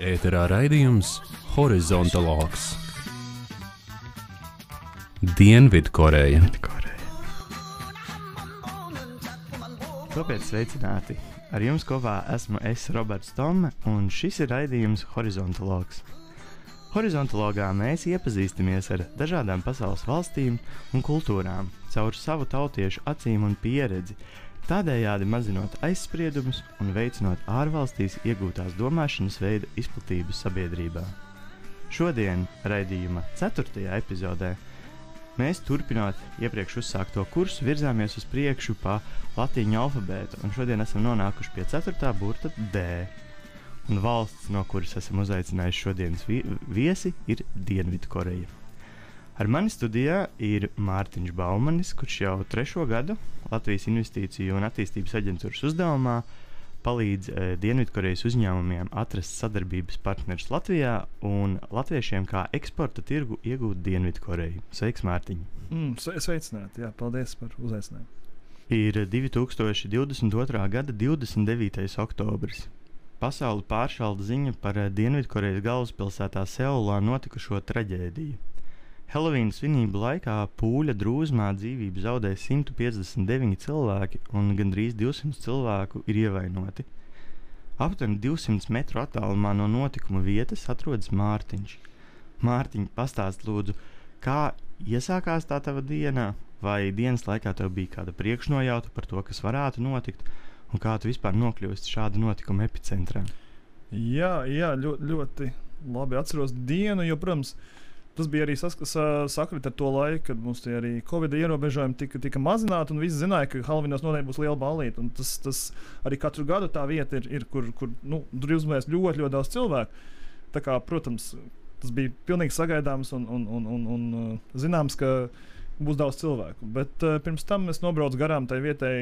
Ēterā raidījums Horizontologs. Dienvidkoreja. Tāpēc sveicināti! Ar jums kopā esmu es, Roberts Tome, un šis ir raidījums Horizontologs. Horizontologā mēs iepazīstamies ar dažādām pasaules valstīm un kultūrām caur savu tautiešu acīm un pieredzi, tādējādi mazinot aizspriedumus un veicinot ārvalstīs iegūtās domāšanas veida izplatību sabiedrībā. Šodien, raidījuma 4. epizodē, mēs turpinot iepriekš uzsākto kursu virzāmies uz priekšu pa latīņu alfabētu, un šodien esam nonākuši pie 4. burta D. Un valsts, no kuras esam uzaicinājuši šodienas viesi, ir Dienvidkoreja. Ar mani studijā ir Mārtiņš Baumanis, kurš jau 3. gadu Latvijas Investīciju un attīstības aģentūras uzdevumā palīdz Dienvidkorejas uzņēmumiem atrast sadarbības partnerus Latvijā un latviešiem kā eksporta tirgu iegūt Dienvidkoreju. Sveiks, Mārtiņ! Sveicināti, jā, paldies par uzaicinājumu. Ir 2022. gada 29. oktobris. Pasauli pāršalda ziņa par Dienvidkorejas galvaspilsētā Seulā notikušo traģēdiju. Helovīna svinību laikā pūļa drūzmā dzīvību zaudēja 159 cilvēki un gandrīz 200 cilvēku ir ievainoti. Aptuveni 200 metru attālumā no notikuma vietas atrodas Mārtiņš. Mārtiņ, pastāst lūdzu, kā iesākās tā tava diena, vai dienas laikā tev bija kāda priekšnojauta par to, kas varētu notikt, un kā tu vispār nokļūsti šāda notikuma epicentrā? Jā, ļoti labi atceros dienu, jo, protams, tas bija arī sakrit ar to laiku, kad mums tie arī Covid ierobežojumi tika mazināti, un visi zināja, ka Halvinos noteikti būs liela ballīte. Un tas arī katru gadu tā vieta ir kur drīzumēs ļoti daudz cilvēku. Tā kā, protams, tas bija pilnīgi sagaidāms un zināms, ka būs daudz cilvēku. Bet pirms tam es nobraucu garām tai vietai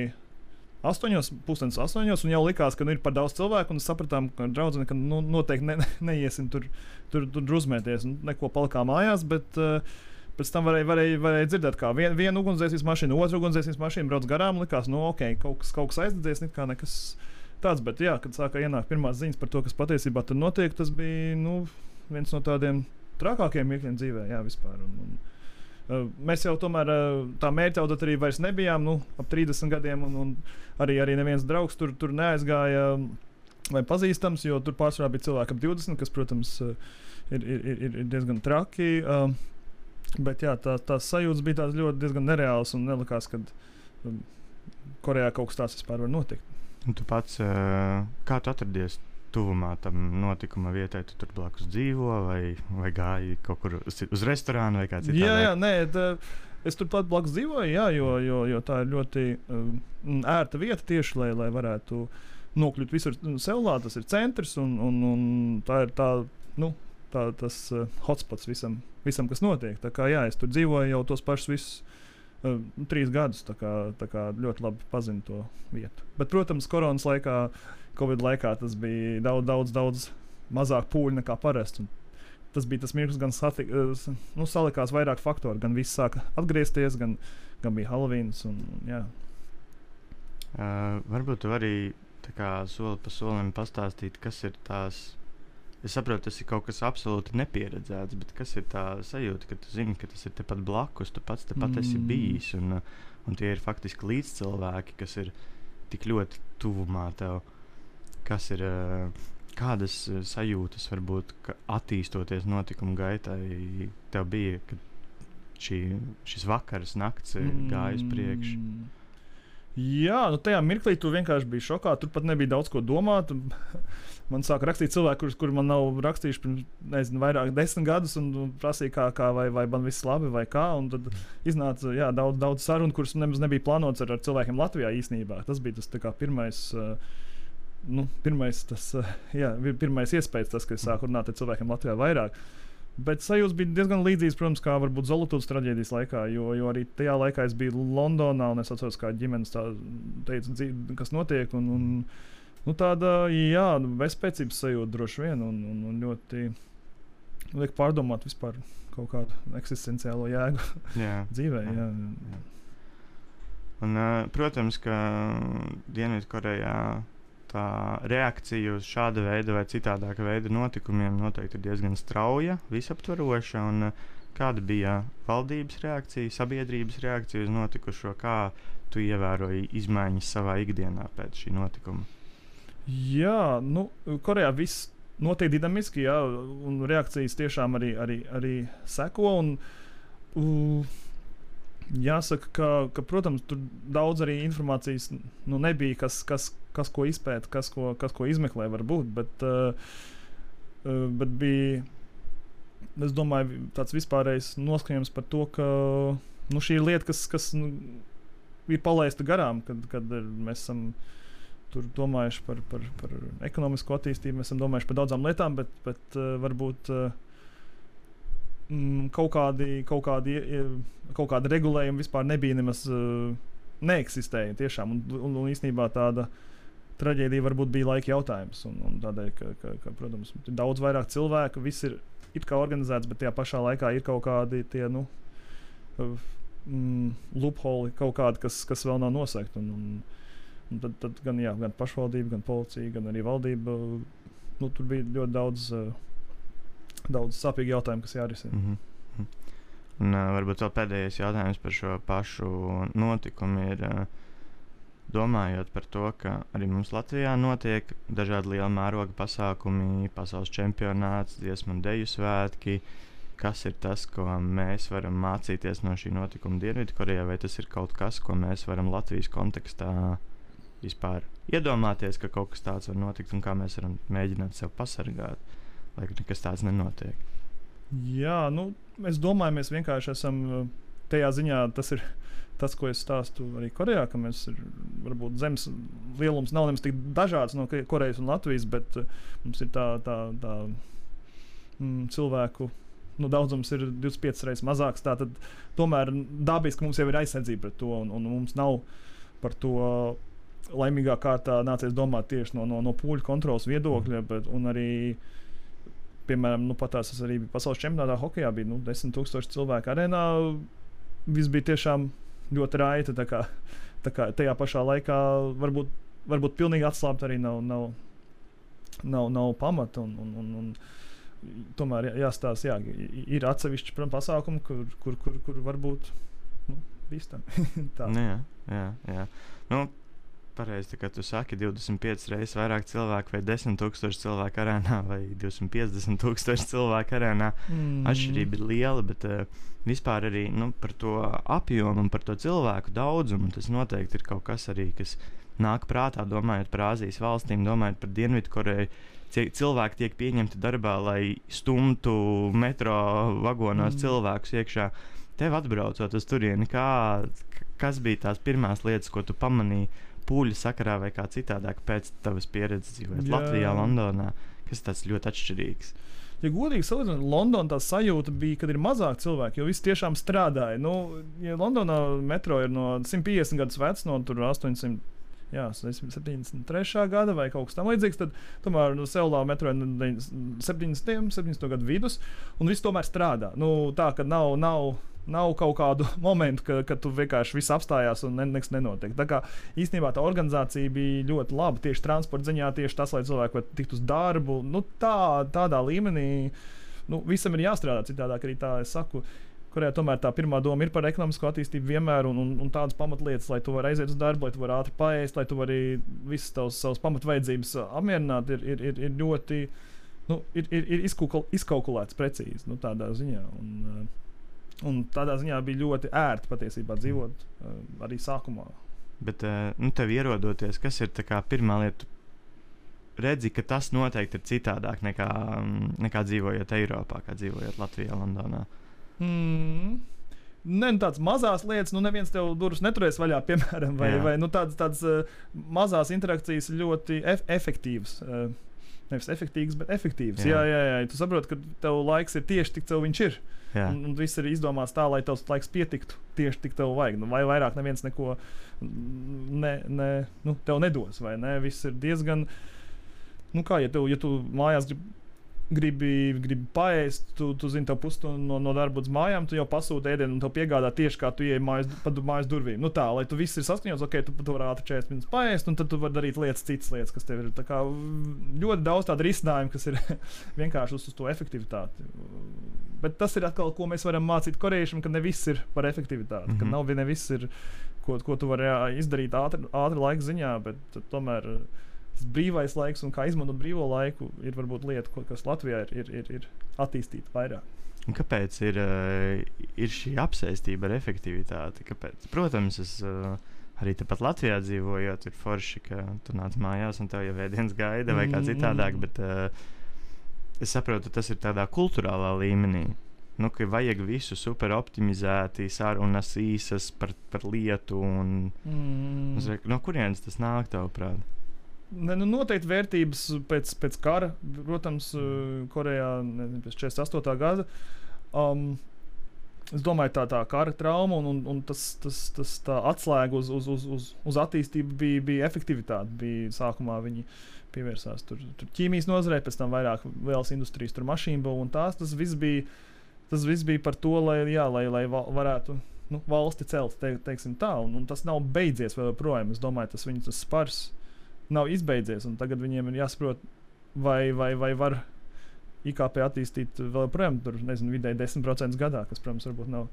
8:30, un jau likās, ka ir par daudz cilvēku, un sapratām, ka draudzene, ka noteikti neiesim tur druzmēties, un neko palikām mājās, bet pēc tam varēja dzirdēt, kā viena ugunsdzēsības mašīna, otra ugunsdzēsības mašīna brauc garām, likās, ok, kaut kas aizdedzies, nekas tāds, bet jā, kad sāka ienākt pirmās ziņas par to, kas patiesībā tur notiek, tas bija, viens no tādiem trakākiem mirkļiem dzīvē, jā, vispār, mēs jau tomēr tā mērķa auditorija vairs nebijām, ap 30 gadiem, un arī neviens draugs tur neaizgāja vai pazīstams, jo tur pārsvarā bija cilvēki ap 20, kas, protams, ir diezgan traki, bet jā, tās sajūtas bija tās ļoti diezgan nereāls un nelikās, kad Korejā kaut kas tāds vispār var notikt. Un tu pats, kā tu atradies tuvumā tam notikuma vietai, tu tur blakus dzīvo vai gāji kaut kur uz restorānu vai kā citādāk? Jā, es tur pat blakus dzīvoju, jā, jo tā ir ļoti ērta vieta tieši, lai varētu nokļūt visur Seulā, tas ir centrs un tā ir tas hotspots visam, kas notiek. Tā kā jā, es tur dzīvoju jau tos pašus visus 3 gadus, tā kā ļoti labi pazinu to vietu. Bet, protams, koronas laikā, Covid laikā tas bija daudz mazāk pūļu nekā parasti. Tas bija tas mirklis, gan salikās vairāk faktori, gan viss sāka atgriezties, gan bija Halloweens un jā. Varbūt tu arī tā kā soli pa solim pastāstīt, kas ir tās, es saprotu, tas ir kaut kas absolūti nepieredzēts, bet kas ir tā sajūta, ka tu zini, ka tas ir tepat blakus, tu pats tepat esi bijis, un tie ir faktiski līdzcilvēki, kas ir tik ļoti tuvumā tev. Kas ir, kādas sajūtas varbūt, ka attīstoties notikumu gaitai tev bija, kad šis vakars, nakts gāja uz priekšu? Jā, tajā mirklī tu vienkārši biji šokā, tur pat nebija daudz ko domāt. Man sāka rakstīt cilvēki, kuri man nav rakstījuši pirms, vairāk 10 gadus un prasīja, kā vai man viss labi vai kā, un tad iznāca, jā, daudz sarunu, kuras nemaz nebija plānots ar cilvēkiem Latvijā īstenībā. Tas bija tas tā kā pirmais iespējas, tas, ka es sāku runāt ar cilvēkiem Latvijā vairāk. Bet sajūtas bija diezgan līdzīgas, protams, kā varbūt Zolotūdas traģēdijas laikā, jo arī tajā laikā es biju Londonā, un es atceros, kā ģimenes teica, kas notiek, un tāda, jā, bezspēcības sajūta droši vien, un ļoti liek pārdomāt vispār kaut kādu eksistenciālo jēgu dzīvē. Jā. Un, protams, ka Dienvidkorejā tā reakcija uz šāda veida vai citādāka veida notikumiem noteikti ir diezgan strauja, visaptvaroša. Un kāda bija valdības reakcija, sabiedrības reakcija uz notikušo? Kā tu ievēroji izmaiņas savā ikdienā pēc šī notikuma? Jā, Korejā viss notiek dinamiski, jā, un reakcijas tiešām arī seko. Jāsaka, ka, protams, tur daudz arī informācijas nebija, kas ko izpēta, kas ko izmeklē varbūt, bet bija, es domāju, tāds vispārējs noskaņojums par to, ka šī ir lieta, kas ir palaista garām, kad mēs esam tur domājuši par ekonomisko attīstību, mēs esam domājuši par daudzām lietām, bet varbūt kaut kādi regulējumi vispār nebija nemaz neeksistēja tiešām, un īstenībā tāda traģēdija varbūt bija laika jautājums, un tādēļ, ka protams, ir daudz vairāk cilvēku, viss ir it kā organizēts, bet tajā pašā laikā ir kaut kādi tie, loophole, kaut kādi, kas vēl nav nosegti, un tad gan pašvaldība, gan policija, gan arī valdība, tur bija ļoti daudz sāpīgi jautājumi, kas jārisina. Un varbūt vēl pēdējais jautājums par šo pašu notikumu ir, domājot par to, ka arī mums Latvijā notiek dažādi liela mēroga pasākumi, pasaules čempionāts, dziesmu un deju svētki. Kas ir tas, ko mēs varam mācīties no šī notikuma Dienvidkorejā, vai tas ir kaut kas, ko mēs varam Latvijas kontekstā vispār iedomāties, ka kaut kas tāds var notikt un kā mēs varam mēģināt sev pasargāt, lai nekas tāds nenotiek? Jā, es domāju, mēs vienkārši esam tajā ziņā, tas ir tas, ko es stāstu arī Korejā, ka mēs varbūt zemes lielums nav nemaz tik dažāds no Korejas un Latvijas, bet mums ir tā cilvēku daudzums ir 25 reizes mazāks, tātad tomēr dabiski mums jau ir aizsardzība pret to, un mums nav par to laimīgā kārtā nācies domāt tieši no pūļu kontrolas viedokļa, un arī piemēram, patās es arī biju pasaules čempionātā hokejā, bija 10,000 cilvēku arēnā, viss bija tiešām ļoti raita, tā kā tajā pašā laikā varbūt pilnīgi atslābt arī nav pamata, un tomēr jāstāsta, ir atsevišķi pasākumi, kur varbūt bīstam. Jā. Pareizi, ka tu saki 25 reizes vairāk cilvēku vai 10,000 cilvēku arēnā vai 250,000 cilvēku arēnā. Atšķirība ir liela, bet vispār arī par to apjomu un par to cilvēku daudzumu. Tas noteikti ir kaut kas arī, kas nāk prātā, domājot par Āzijas valstīm, domājot par Dienvidkoreju. Cilvēki tiek pieņemti darbā, lai stumtu metro vagonos cilvēkus iekšā. Tev atbraucot uz turieni, kas bija tās pirmās lietas, ko tu pamanīji pūļu sakarā vai kā citādāk pēc tavas pieredzes dzīvojot Latvijā, Londonā, kas tāds ļoti atšķirīgs? Ja godīgi salīdzinot, Londonā tā sajūta bija, kad ir mazāk cilvēki, jo visi tiešām strādāja. Ja Londonā metro ir no 150 gadus vecs, no tur 73. gada vai kaut kas tam līdzīgs, tad tomēr Seulā metro ir 70. gadu vidus, un viss tomēr strādā. Tā, ka nav kaut kādu momentu, kad tu vienkārši viss apstājās un nekas nenotiek. Tā kā īstenībā tā organizācija bija ļoti laba, tieši transporta ziņā, tieši tas, lai cilvēki var tikt uz darbu. Tādā līmenī visam ir jāstrādā, citādāk arī tā es saku. Korejā tomēr tā pirmā doma ir par ekonomisko attīstību vienmēr un tādas pamatlietas, lai tu vari aiziet uz darbu, lai tu vari ātri paēst, lai tu vari visas savas pamatvajadzības apmierināt, ir ļoti ir izkalkulēts precīzi tādā ziņā. Un tādā ziņā bija ļoti ērti patiesībā dzīvot arī sākumā. Bet tev ierodoties, kas ir tā kā pirmā lieta? Redzi, ka tas noteikti ir citādāk nekā dzīvojot Eiropā, kā dzīvojot Latvijā, Londonā. Tādas mazās lietas, neviens tev durvis neturēs vaļā, piemēram, vai tādas mazās interakcijas ļoti efektīvas. Nevis efektīvas, bet efektīvas. Jā. Tu saproti, ka tev laiks ir tieši tik, cik viņš ir. Un viss ir izdomāts tā, lai tavs laiks pietiktu tieši tik tev vajag. Vai vairāk neviens neko tev nedos, vai ne? Viss ir diezgan, ja tu mājās gribi paēst, tu zini, tev pusstundu no darba uz mājām, tu jau pasūti ēdienu un tev piegādā tieši kā tu ieej mājas durvīm. Nu tā, lai tu viss ir saskaņots, ok, tu vari ātri 40 minūtes paēst, un tad tu vari darīt citas lietas, kas tev ir. Tā kā ļoti daudz tādu risinājumu, kas ir vienkārši uz to efektivitāti. Bet tas ir atkal, ko mēs varam mācīt korejiešiem, ka ne viss ir par efektivitāti, ka nav ne viss ir, ko tu vari izdarīt ātri laika ziņā, bet tomēr tas brīvais laiks un kā izmantot brīvo laiku ir varbūt lieta, kas Latvijā ir attīstīta vairāk. Un kāpēc ir šī apsēstība ar efektivitāti? Kāpēc? Protams, es arī tepat Latvijā dzīvojot, ir forši, ka tu nāc mājās un tev jau ēdienas gaida vai kā citādāk, bet es saprotu, tas ir tādā kulturālā līmenī. Nu, ka vajag visu super optimizēti, sarunas īsas par lietu un no kurienes tas nāk tavuprāt? Noteikti vērtības pēc kara, protams, Korejā pēc 48. gada. Es domāju, tā kara trauma un tas tā atslēga uz attīstību bija efektivitāte. Bija sākumā viņi pievērsās tur ķīmijas nozarei, pēc tam vairāk vēlas industrijas, tur mašīnbūvu un tas viss bija par to, lai varētu valsti celt, teiksim tā, un tas nav beidzies vēl projām. Es domāju, tas spars nav izbeidzies, un tagad viņiem ir jāsaprot, vai var IKP attīstīt vēl projām, tur, nezinu, vidēji 10% gadā, kas, protams, varbūt nav.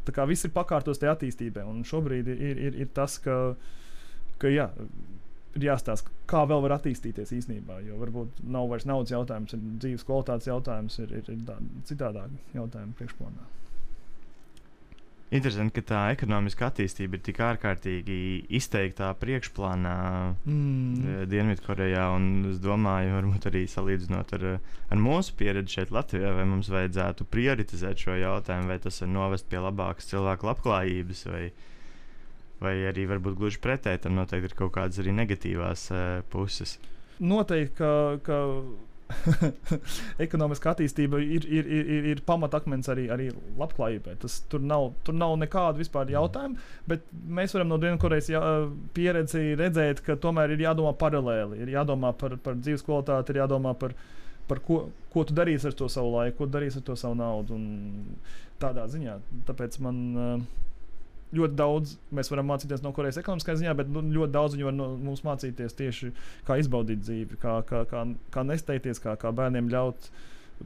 Tā kā viss ir pakārtos tajā attīstībai, un šobrīd ir tas, ka jā, ir jāstāsta, kā vēl var attīstīties īstenībā, jo varbūt nav vairs naudas jautājums, ir dzīves kvalitātes jautājums, ir citādāk jautājumi priekšplānā. Interesanti, ka tā ekonomiska attīstība ir tik ārkārtīgi izteiktā priekšplānā Dienvidkorejā, un es domāju, varbūt arī salīdzinot ar mūsu pieredzi šeit Latvijā, vai mums vajadzētu prioritizēt šo jautājumu, vai tas var novest pie labākas cilvēku labklājības, vai arī varbūt gluži pretēji, tam noteikti ir kaut kādas arī negatīvās puses. Noteikti, ka ekonomiska attīstība ir pamatakmens arī labklājībai. Tur nav nekādu vispār jautājumu, bet mēs varam no Dienvidkorejas pieredzi redzēt, ka tomēr ir jādomā paralēli, ir jādomā par dzīves kvalitāti, ir jādomā par ko tu darīsi ar to savu laiku, ko darīsi ar to savu naudu un tādā ziņā. Tāpēc man ļoti daudz mēs varam mācīties no Korejas ekonomiskā ziņā, bet ļoti daudz viņi var no mums mācīties tieši kā izbaudīt dzīvi, kā nesteigties, kā bērniem ļaut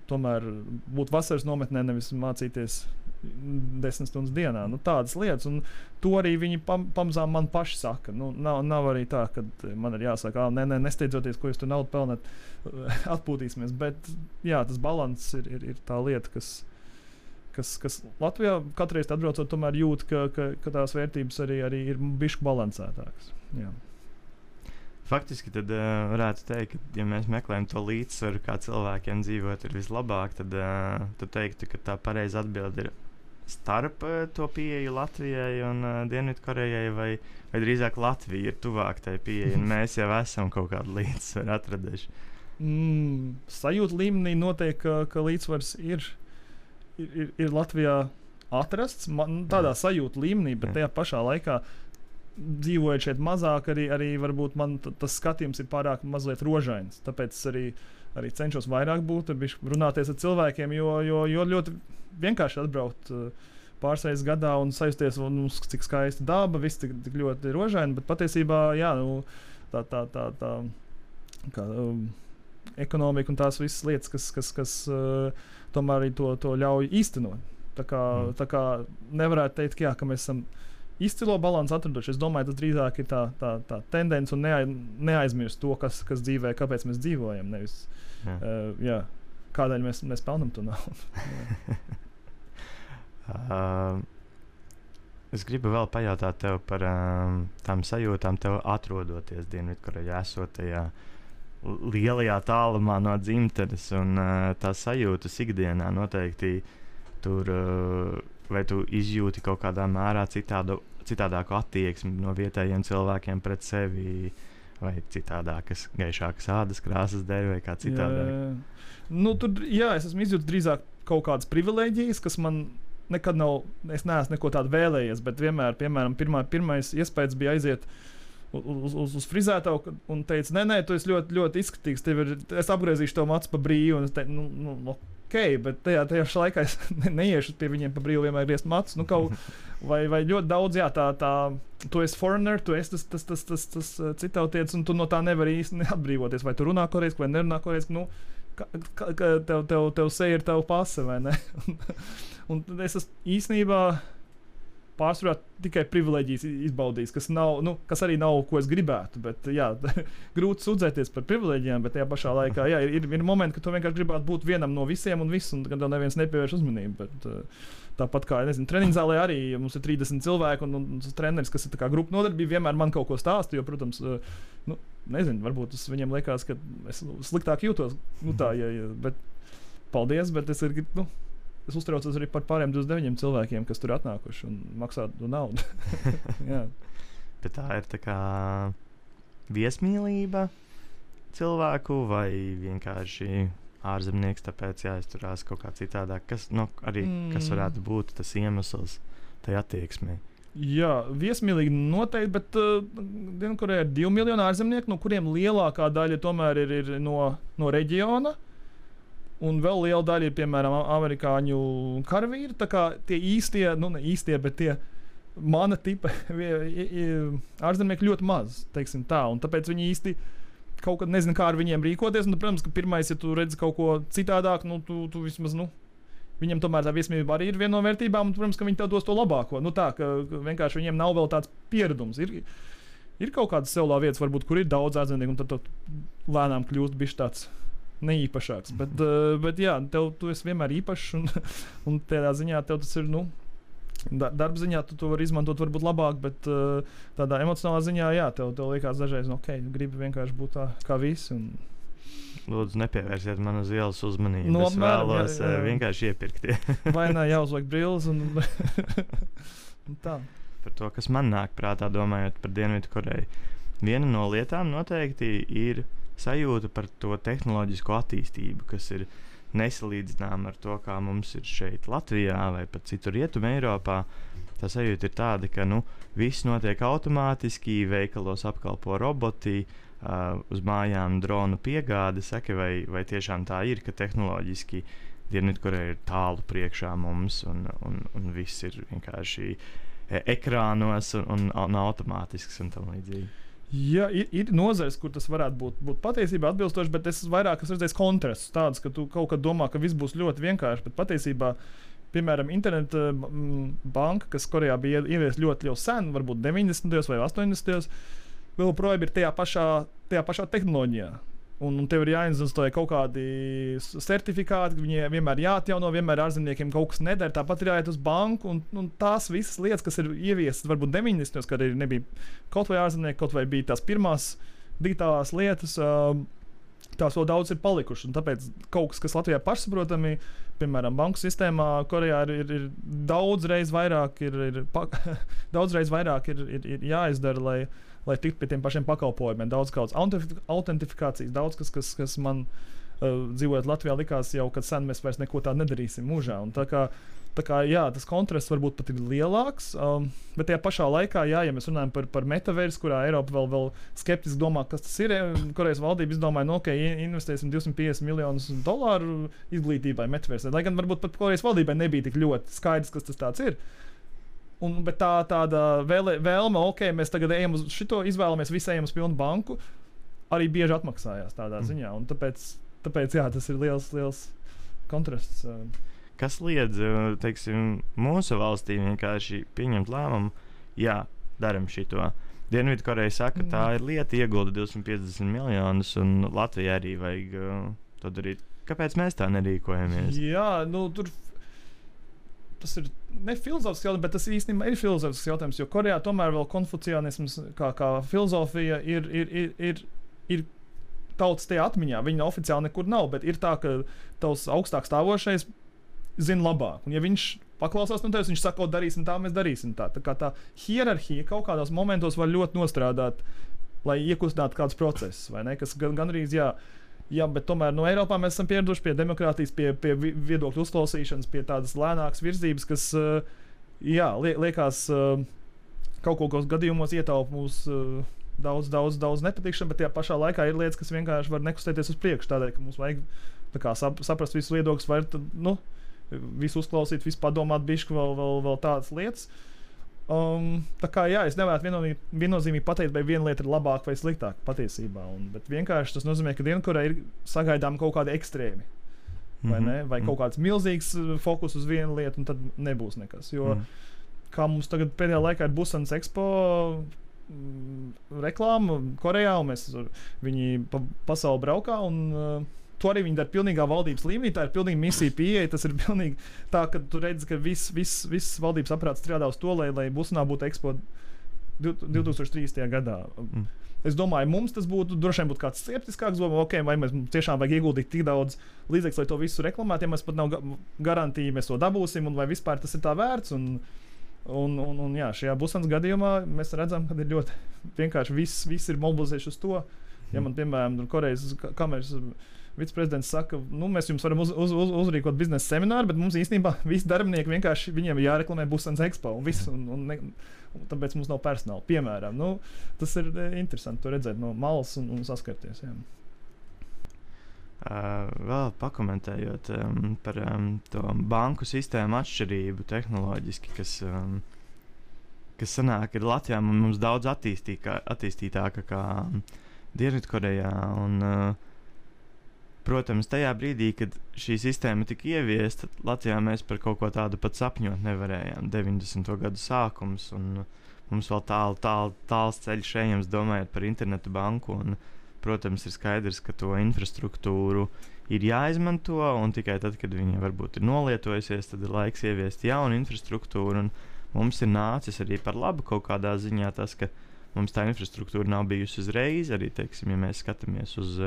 tomēr būt vasaras nometnē, nevis mācīties 10 stundas dienā. Tādas lietas, un to arī viņi pamazām man paši saka. Nav arī tā, ka man ir jāsaka, nesteidzoties, ko jūs tur naudu pelnat, atpūtīsimies, bet jā, tas balans ir tā lieta, kas Latvijā katreiz atbraucot, tomēr jūt, ka tās vērtības arī ir bišķi balansētākas. Jā. Faktiski tad varētu teikt, ka, ja mēs meklējam to līdzsvaru, kā cilvēkiem dzīvot ir vislabāk, tad teiktu, ka tā pareiza atbilde ir starp to pieeju Latvijai un Dienvidkorejai, vai drīzāk Latvija ir tuvāk tai pieeja, un mēs jau esam kaut kādu līdzsvaru atraduši. Sajūta līmenī noteikti, ka līdzsvars ir Latvijā atrasts, tādā sajūta līmenī, bet tajā pašā laikā dzīvojot šeit mazāk, arī varbūt man tas skatījums ir pārāk mazliet rožains. Tāpēc es arī cenšos vairāk būt, runāties ar cilvēkiem, jo ļoti vienkārši atbraukt pāris reizes gadā un sajusties, cik skaista daba, viss tik ļoti rožaini, bet patiesībā, jā, tā ekonomika un tās visas lietas, kas tomēr arī to ļauj īstenot. Tā kā nevarētu teikt, ka mēs esam izcilo balansu atraduši. Es domāju, tas drīzāk ir tā tendence un neaizmirst to, kas dzīvē, kāpēc mēs dzīvojam. Nevis, kādēļ mēs pelnam to naudu. Es gribu vēl pajautāt tev par tām sajūtām, tev atrodoties Dienvidkorejā, esot tajā lielajā tālumā no dzimtenes, un tās sajūtas ikdienā noteikti tur, vai tu izjūti kaut kādā mērā citādāku attieksmi no vietējiem cilvēkiem pret sevi, vai citādākas, gaišākas ādas krāsas dēļ, vai kā citādāk? Es esmu izjūtis drīzāk kaut kādas privilēģijas, kas man nekad nav, es neesmu neko tādu vēlējies, bet vienmēr, piemēram, pirmais iespējas bija aiziet uz frizētavu un teica, nē, tu esi ļoti, ļoti izskatīgs, es apgriezīšu tev matus pa brīvu, un es teicu, ok, bet tajā laikā es neiešu pie viņiem pa brīvu vienmēr griezt matus, vai ļoti daudz, jā, tu esi foreigner, tu esi tas citautietis, un tu no tā nevari īsti neatbrīvoties, vai tu runā korejski, vai nerunā korejski, tev seja ir tava pase, vai ne? un es esmu īstenībā pārsvarā tikai privileģijas izbaudījis, kas arī nav, ko es gribētu, bet jā, grūti sūdzēties par privileģijām, bet tajā pašā laikā, jā, ir momenti, ka tu vienkārši gribētu būt vienam no visiem un viss, un kad tev neviens nepievērš uzmanību, bet tāpat kā, treniņzālē arī mums ir 30 cilvēki, un treneris, kas ir tā kā grupa nodarbība, vienmēr man kaut ko stāsta, jo, protams, varbūt tas viņiem liekas, ka es sliktāk jūtos, bet paldies, bet es uztraucos arī par pāriem 29 cilvēkiem, kas tur atnākuši un maksā naudu. Jā. Bet tā ir tā kā viesmīlība cilvēku vai vienkārši ārzemnieks, tāpēc jāizturās kaut kā citādāk. Kas varētu būt tas iemesls tai attieksmei? Jā, viesmīlīgi noteikti, bet Dienvidkorejā ir 2 miljoni ārzemnieku, no kuriem lielākā daļa tomēr ir no reģiona. Un vēl liela daļa ir, piemēram, amerikāņu karavīri. Tā kā tie īstie, ne īstie, bet tie mana tipa ārzemnieki ļoti maz, teiksim tā. Un tāpēc viņi īsti kaut kad nezina, kā ar viņiem rīkoties. Un, protams, ka pirmais, ja tu redzi kaut ko citādāk, tu vismaz, viņiem tomēr tā viesmīlība arī ir viena no vērtībām. Un, protams, ka viņi tev dos to labāko. Ka vienkārši viņiem nav vēl tāds pieredums. Ir kaut kādas sevlā vietas, varbūt, kur ir daudz ārzemnieku, un tad lēnām kļūst bišķi tāds neīpašāks, bet jā, tu esi vienmēr īpašs, un tādā ziņā tev tas ir, darba ziņā tu to vari izmantot varbūt labāk, bet tādā emocionālā ziņā, jā, tev liekas dažreiz, gribi vienkārši būt tā kā visi. Lūdzu, nepievērsiet man uz ielas uzmanību, es vēlos vienkārši iepirkt. Vai ne, jāuzliek brilles un tā. Par to, kas man nāk prātā, domājot par Dienvidkoreju. Viena no lietām noteikti ir sajūta par to tehnoloģisko attīstību, kas ir nesalīdzināma ar to, kā mums ir šeit Latvijā vai pat citur Rietumē Eiropā. Tā sajūta ir tāda, ka viss notiek automātiski, veikalos apkalpo roboti, uz mājām dronu piegāde. Saka, vai tiešām tā ir, ka tehnoloģiski Dienvidkoreja ir tālu priekšā mums un viss ir vienkārši ekrānos un automātisks un tam līdzīgi. Jā, ir nozares, kur tas varētu būt patiesībā atbilstoši, bet es vairāk esmu redzējis kontrastus tādus, ka tu kaut kad domā, ka viss būs ļoti vienkārši, bet patiesībā, piemēram, interneta banka, kas Korejā bija ieviesta ļoti jau sen, varbūt 90. vai 80. vēl projām ir tajā pašā tehnoloģijā. Un tev ir jāinstitūē kaut kādi certifikāti, viņiem vienmēr jāatjauno, vienmēr ārzemniekiem kaut kas nedara. Tāpat ir jāiet uz banku, un tās visas lietas, kas ir ieviestas varbūt 90. kad arī nebija kaut vai ārzemnieki, kaut vai bija tās pirmās digitālās lietas, tās vēl daudz ir palikušas. Un tāpēc kaut kas Latvijā pašsaprotami, piemēram, banku sistēmā Korejā ir daudzreiz vairāk ir jāizdara, lai tiktu pie tiem pašiem pakalpojumiem. Daudz kādas autentifikācijas, daudz kas man dzīvojot Latvijā likās jau, kad sen mēs vairs neko tādu nedarīsim mūžā. Un tā kā jā, tas kontrasts varbūt pat ir lielāks, bet tajā pašā laikā, jā, ja mēs runājam par metaversu, kurā Eiropa vēl skeptiski domā, kas tas ir, Korejas valdība izdomāja, investēsim $250 miljonus izglītībai metaversē. Lai gan varbūt pat Korejas valdībai nebija tik ļoti skaidrs, kas tas tāds ir. Bet tāda vēlme, mēs tagad ejam uz šito, izvēlamies visi ejam uz pilnu banku, arī bieži atmaksājās tādā ziņā. Un tāpēc jā, tas ir liels kontrasts. Kas liedz, teiksim, mūsu valstī vienkārši pieņemt lēmumu, jā, daram šito. Dienvidkoreja saka, tā ir lieta, iegulda 250 miljonus, un Latvijai arī vajag to darīt. Kāpēc mēs tā nerīkojamies? Jā, tur tas ir ne filozofisks jautājums, bet tas īstenībā ir filozofisks jautājums, jo Korejā tomēr vēl konfucianisms kā filozofija ir tautas tajā atmiņā. Viņa oficiāli nekur nav, bet ir tā, ka tavs augstāk stāvošais zina labāk. Un ja viņš paklausās no tevis, viņš saka, darīsim tā, mēs darīsim tā. Tā kā tā hierarhija kaut kādos momentos var ļoti nostrādāt, lai iekustinātu kādus procesus, vai ne? Kas gan arī, jā, bet tomēr no Eiropā mēs esam pieraduši pie demokrātijas, pie viedokļu uzklausīšanas, pie tādas lēnākas virzības, kas, liekas, kaut kādos gadījumos ietaupa mūsu daudz nepatikšana, bet tajā pašā laikā ir lietas, kas vienkārši var nekustēties uz priekšu. Tādēļ, ka mums vajag tā kā saprast visus viedokļus, vai visu uzklausīt, visu padomāt, bišķi vēl tādas lietas. Tā kā jā, es nevarētu viennozīmīgi pateikt, vai viena lieta ir labāka vai sliktāka patiesībā. Bet vienkārši tas nozīmē, ka Dienvidkorejā ir sagaidām kaut kādi ekstrēmi. Vai kaut kāds milzīgs fokus uz vienu lietu, un tad nebūs nekas. Jo kā mums tagad pēdējā laikā ir Busanas Expo reklāma Korejā, un viņi pasauli braukā, un to arī viņi dara pilnīgā valdības līmenī. Tā ir pilnīgi misija pieeja. Tas ir pilnīgi tā, ka tu redzi, ka viss valdības aparāts strādā uz to, lai Busanā būtu Expo 2030. gadā. Es domāju, mums tas būtu droši vien kāds skeptiskāks, vai mēs tiešām vajag ieguldīt tik daudz līdzekļu, lai to visu reklamētu, ja mēs pat nav garantija, mēs to dabūsim, un vai vispār tas ir tā vērts. Un jā, šajā Busanas gadījumā mēs redzam, ka ir ļoti vienkārši viss ir mobilizējuši uz to. Ja man, piemēram, Korejas kameras viceprezidents saka, mēs jums varam uzrīkot biznesa semināru, bet mums īstenībā visi darbinieki vienkārši viņiem ir jāreklamē Busanas Expo un viss, un tāpēc mums nav personāla. Piemēram, tas ir interesanti to redzēt no malas un saskarties. Jā. Vēl pakomentējot par to banku sistēmu atšķirību tehnoloģiski, kas sanāk ir Latvijā mums daudz attīstītāka kā Dienvidkorejā. Protams, tajā brīdī, kad šī sistēma tika ieviesta, Latvijā mēs par kaut ko tādu pat sapņot nevarējām. 90. gadu sākums, un mums vēl tāls ceļš ejams domājot par internetu banku. Un, protams, ir skaidrs, ka to infrastruktūru ir jāizmanto, un tikai tad, kad viņa varbūt ir nolietojusies, tad ir laiks ieviest jaunu infrastruktūru. Un mums ir nācis arī par labu kaut kādā ziņā tas, ka mums tā infrastruktūra nav bijusi uzreiz. Arī, teiksim, ja mēs skatāmies uz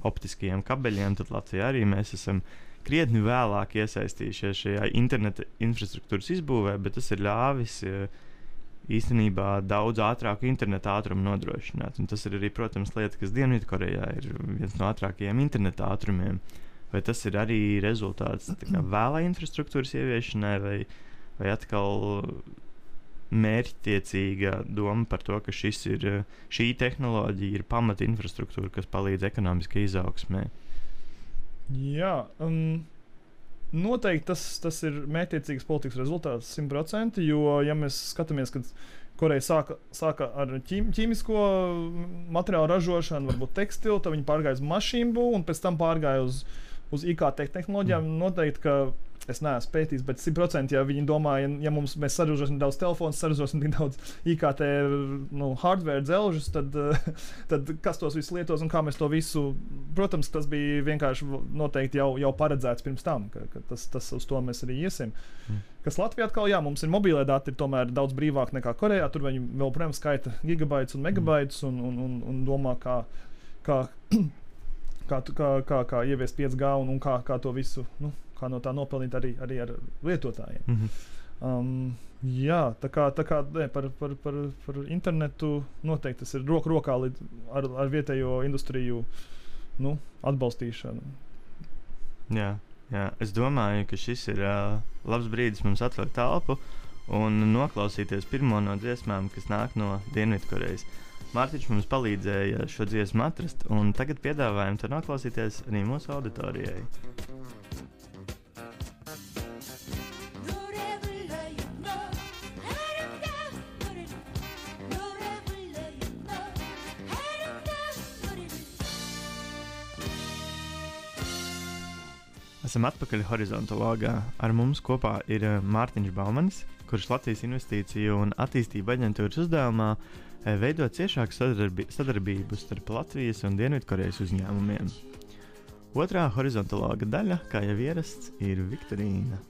optiskajiem kabeļiem, tad Latvijā arī mēs esam krietni vēlāk iesaistījušies šajā interneta infrastruktūras izbūvē, bet tas ir ļāvis īstenībā daudz ātrāku interneta ātrumu nodrošināt. Un tas ir arī, protams, lieta, kas Dienvidkorejā ir viens no ātrākajiem interneta ātrumiem. Vai tas ir arī rezultāts vēlai infrastruktūras ieviešanai, vai atkal mērķtiecīga doma par to, ka šī tehnoloģija ir pamata infrastruktūra, kas palīdz ekonomiskai izaugsmē? Jā, noteikti tas ir mērķtiecīgas politikas rezultāts 100%, jo, ja mēs skatāmies, kad Koreja sāka ar ķīmisko materiālu ražošanu, varbūt tekstilu, tad viņi pārgāja uz mašīnu būvu un pēc tam pārgāja uz IKT tehnoloģijām. Noteikti, ka es neesmu pētījis, bet 100%, ja viņi domā, ja mēs saražosim daudz telefonu, saražosim tik daudz IKT hardware dzelžus, tad kas tos visus lietos un kā mēs to visu, protams, tas bija vienkārši noteikti jau paredzēts pirms tam, ka tas uz to mēs arī iesim. Kas Latvijā atkal, jā, mums ir mobīlē dati, ir tomēr daudz brīvāk nekā Korejā, tur viņi vēl, protams, skaita gigabaitus un megabaitus un domā, kā ieviest 5G un kā to visu, kā no tā nopelnīt arī ar lietotājiem. Jā, tā kā par internetu noteikti tas ir rokā ar vietējo industriju atbalstīšanu. Jā, es domāju, ka šis ir labs brīdis mums atvērt telpu un noklausīties pirmo no dziesmām, kas nāk no Dienvidkorejas. Mārtiņš mums palīdzēja šo dziesmu atrast, un tagad piedāvājam to noklausīties arī mūsu auditorijai. Esam atpakaļ Horizontologā. Ar mums kopā ir Mārtiņš Baumanis, kurš Latvijas Investīciju un attīstību aģentūras uzdevumā veido ciešāku sadarbību starp Latvijas un Dienvidkorejas uzņēmumiem. Otrā horizontologa daļa, kā jau ierasts, ir Viktorīna.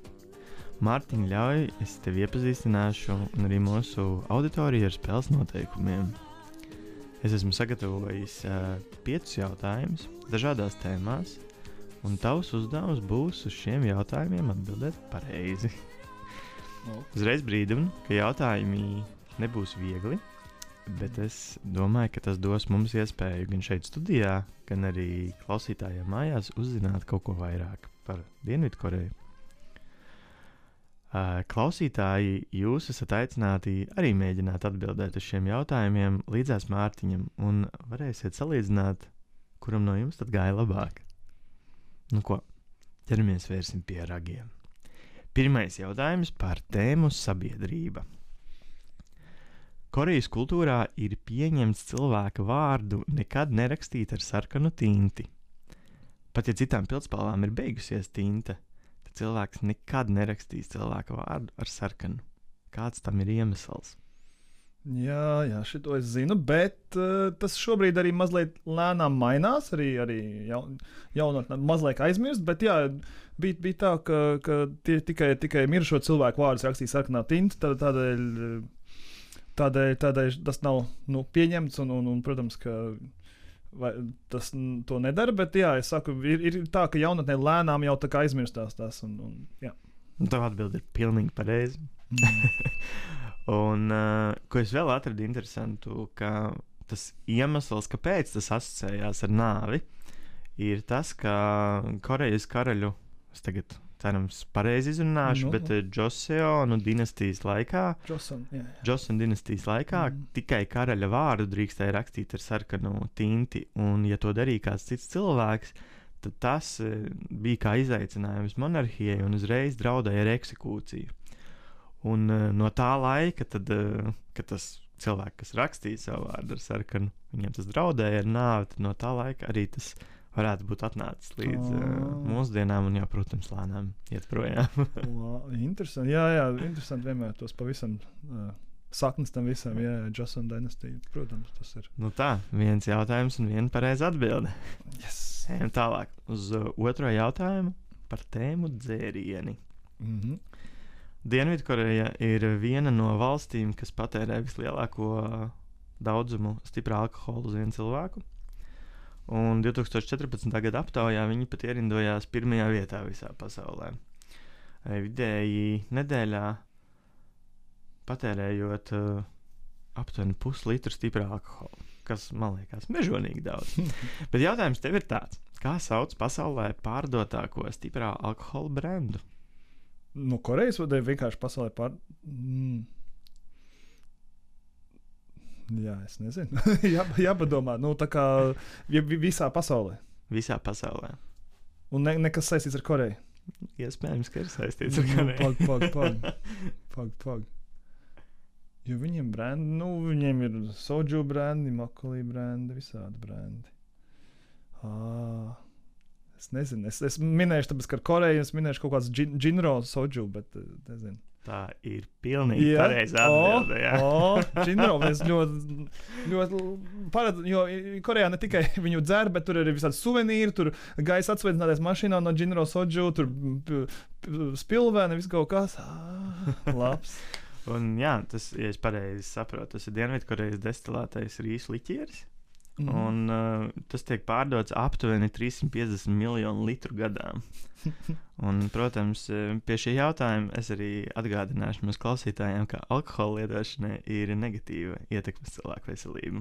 Mārtiņ, ļauj, es tevi iepazīstināšu un arī mūsu auditoriju ar spēles noteikumiem. Es esmu sagatavojis 5 jautājumus dažādās tēmās, un tavs uzdevums būs uz šiem jautājumiem atbildēt pareizi. Uzreiz brīdinu, ka jautājumi nebūs viegli, bet es domāju, ka tas dos mums iespēju gan šeit studijā, gan arī klausītājiem mājās uzzināt kaut ko vairāk par Dienvidkoreju. Klausītāji, jūs esat aicināti arī mēģināt atbildēt uz šiem jautājumiem līdzās Mārtiņam, un varēsiet salīdzināt, kuram no jums tad gāja labāk. Nu ko, ķeramies vērsim pie ragiem. Pirmais jautājums par tēmu sabiedrība. Korejas kultūrā ir pieņemts cilvēka vārdu nekad nerakstīt ar sarkanu tinti. Pat ja citām pildspalvām ir beigusies tinte, cilvēks nekad nerakstīs cilvēka vārdu ar sarkanu. Kāds tam ir iemesls? Jā, šito es zinu, bet tas šobrīd arī mazliet lēnām mainās, arī jaunatnē mazliet aizmirst, bet jā, bija tā, ka tikai mirušo cilvēku vārdus rakstīja sarkanā tinta, tādēļ tas nav pieņemts, un protams, ka tas to nedara, bet jā, es saku, ir tā, ka jaunatnē lēnām jau tā kā aizmirstās tās, jā. Tev atbildi ir pilnīgi pareizi. Un, ko es vēl atradu interesantu, ka tas iemesls, kāpēc tas asociējās ar nāvi, ir tas, ka Korejas karaļu, es tagad cerams pareizi izrunāšu, bet Joseonu dinastijas laikā, Joseon dinastijas laikā tikai karaļa vārdu drīkstēja rakstīt ar sarkanu tinti, un ja to darīja kāds cits cilvēks, tad tas bija kā izaicinājums monarhijai un uzreiz draudēja ar eksekūciju. Un no tā laika, tad, kad tas cilvēks, kas rakstīja savu vārdu ar sarkanu, viņam tas draudēja ar nāvi, tad no tā laika arī tas varētu būt atnācis līdz mūsdienām un jau, protams, lēnām iet projām. Interesanti, jā, interesanti vienmēr tos pavisam saknes tam visam, jā, Joseon dinastija, protams, tas ir. Nu tā, viens jautājums un viena pareiza atbilde. Yes. Ejam tālāk uz otro jautājumu par tēmu dzērieni. Dienvidkoreja ir viena no valstīm, kas patērē vislielāko daudzumu stiprā alkohola uz vienu cilvēku. Un 2014. gada aptaujā viņi pat ierindojās pirmajā vietā visā pasaulē. Vidēji nedēļā patērējot aptuveni puslitru stiprā alkohola, kas man liekas mežonīgi daudz. Bet jautājums tev ir tāds, kā sauc pasaulē pārdotāko stiprā alkohola brendu? No Korejas vai vienkārši pasaulē Jā, es nezinu. Jāpadomā, tā kā visā pasaulē. Visā pasaulē. Un nekas saistīts ar Koreju? Iespējams, ka ir saistīts ar Koreju. Pag. Jo viņiem brendi, viņiem ir soju brendi, makolī brendi, visādi brendi. Es nezinu, es minēšu, tāpēc, ka ar Koreju es minēšu kaut kāds džinro soju, bet nezinu. Tā ir pilnīgi pareiza atbilde. Džinro, es ļoti paredzu, jo Korejā ne tikai viņu dzer, bet tur ir visādi suvenīri, tur gaisa atsveicināties mašīnā no džinro soju, tur spilvēni, viss kaut kas. Labs. Un jā, tas, ja es pareizi saprotu, tas ir Dienvidkorejas destilētais rīsu liķieris. Un tas tiek pārdots aptuveni 350 miljonu litru gadā. Un, protams, pie šī jautājuma es arī atgādināšu mūsu klausītājiem, ka alkohola lietošanai ir negatīva ietekme uz cilvēku veselību.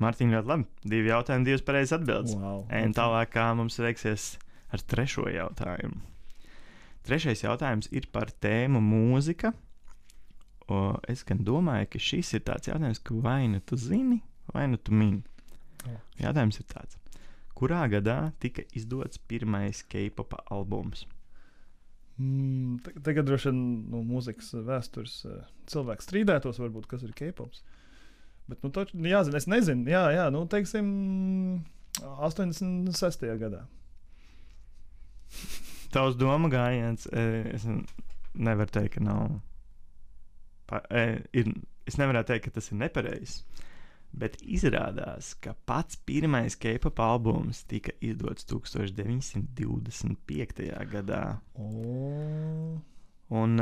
Mārtiņ, ļoti labi. 2 jautājumi, 2 pareizas atbildes. Wow. Ejam tālāk, kā mums veiksies ar trešo jautājumu. Trešais jautājums ir par tēmu mūzika. Es gan domāju, ka šis ir tāds jautājums, ka vai nu tu zini, vai nu tu mini. Jautājums ir tāds. Kurā gadā tika izdots pirmais K-popa albums? Tagad droši vien mūzikas vēstures cilvēks strīdētos, varbūt, kas ir K-pops. Bet, jāzina, es nezinu. Jā, teiksim, 86. gadā. Tavs doma gājiens, es nevaru teikt, ka nav. Es nevarētu teikt, ka tas ir nepareizs. Bet izrādās, ka pats pirmais K-pop albums tika izdots 1925. gadā. Un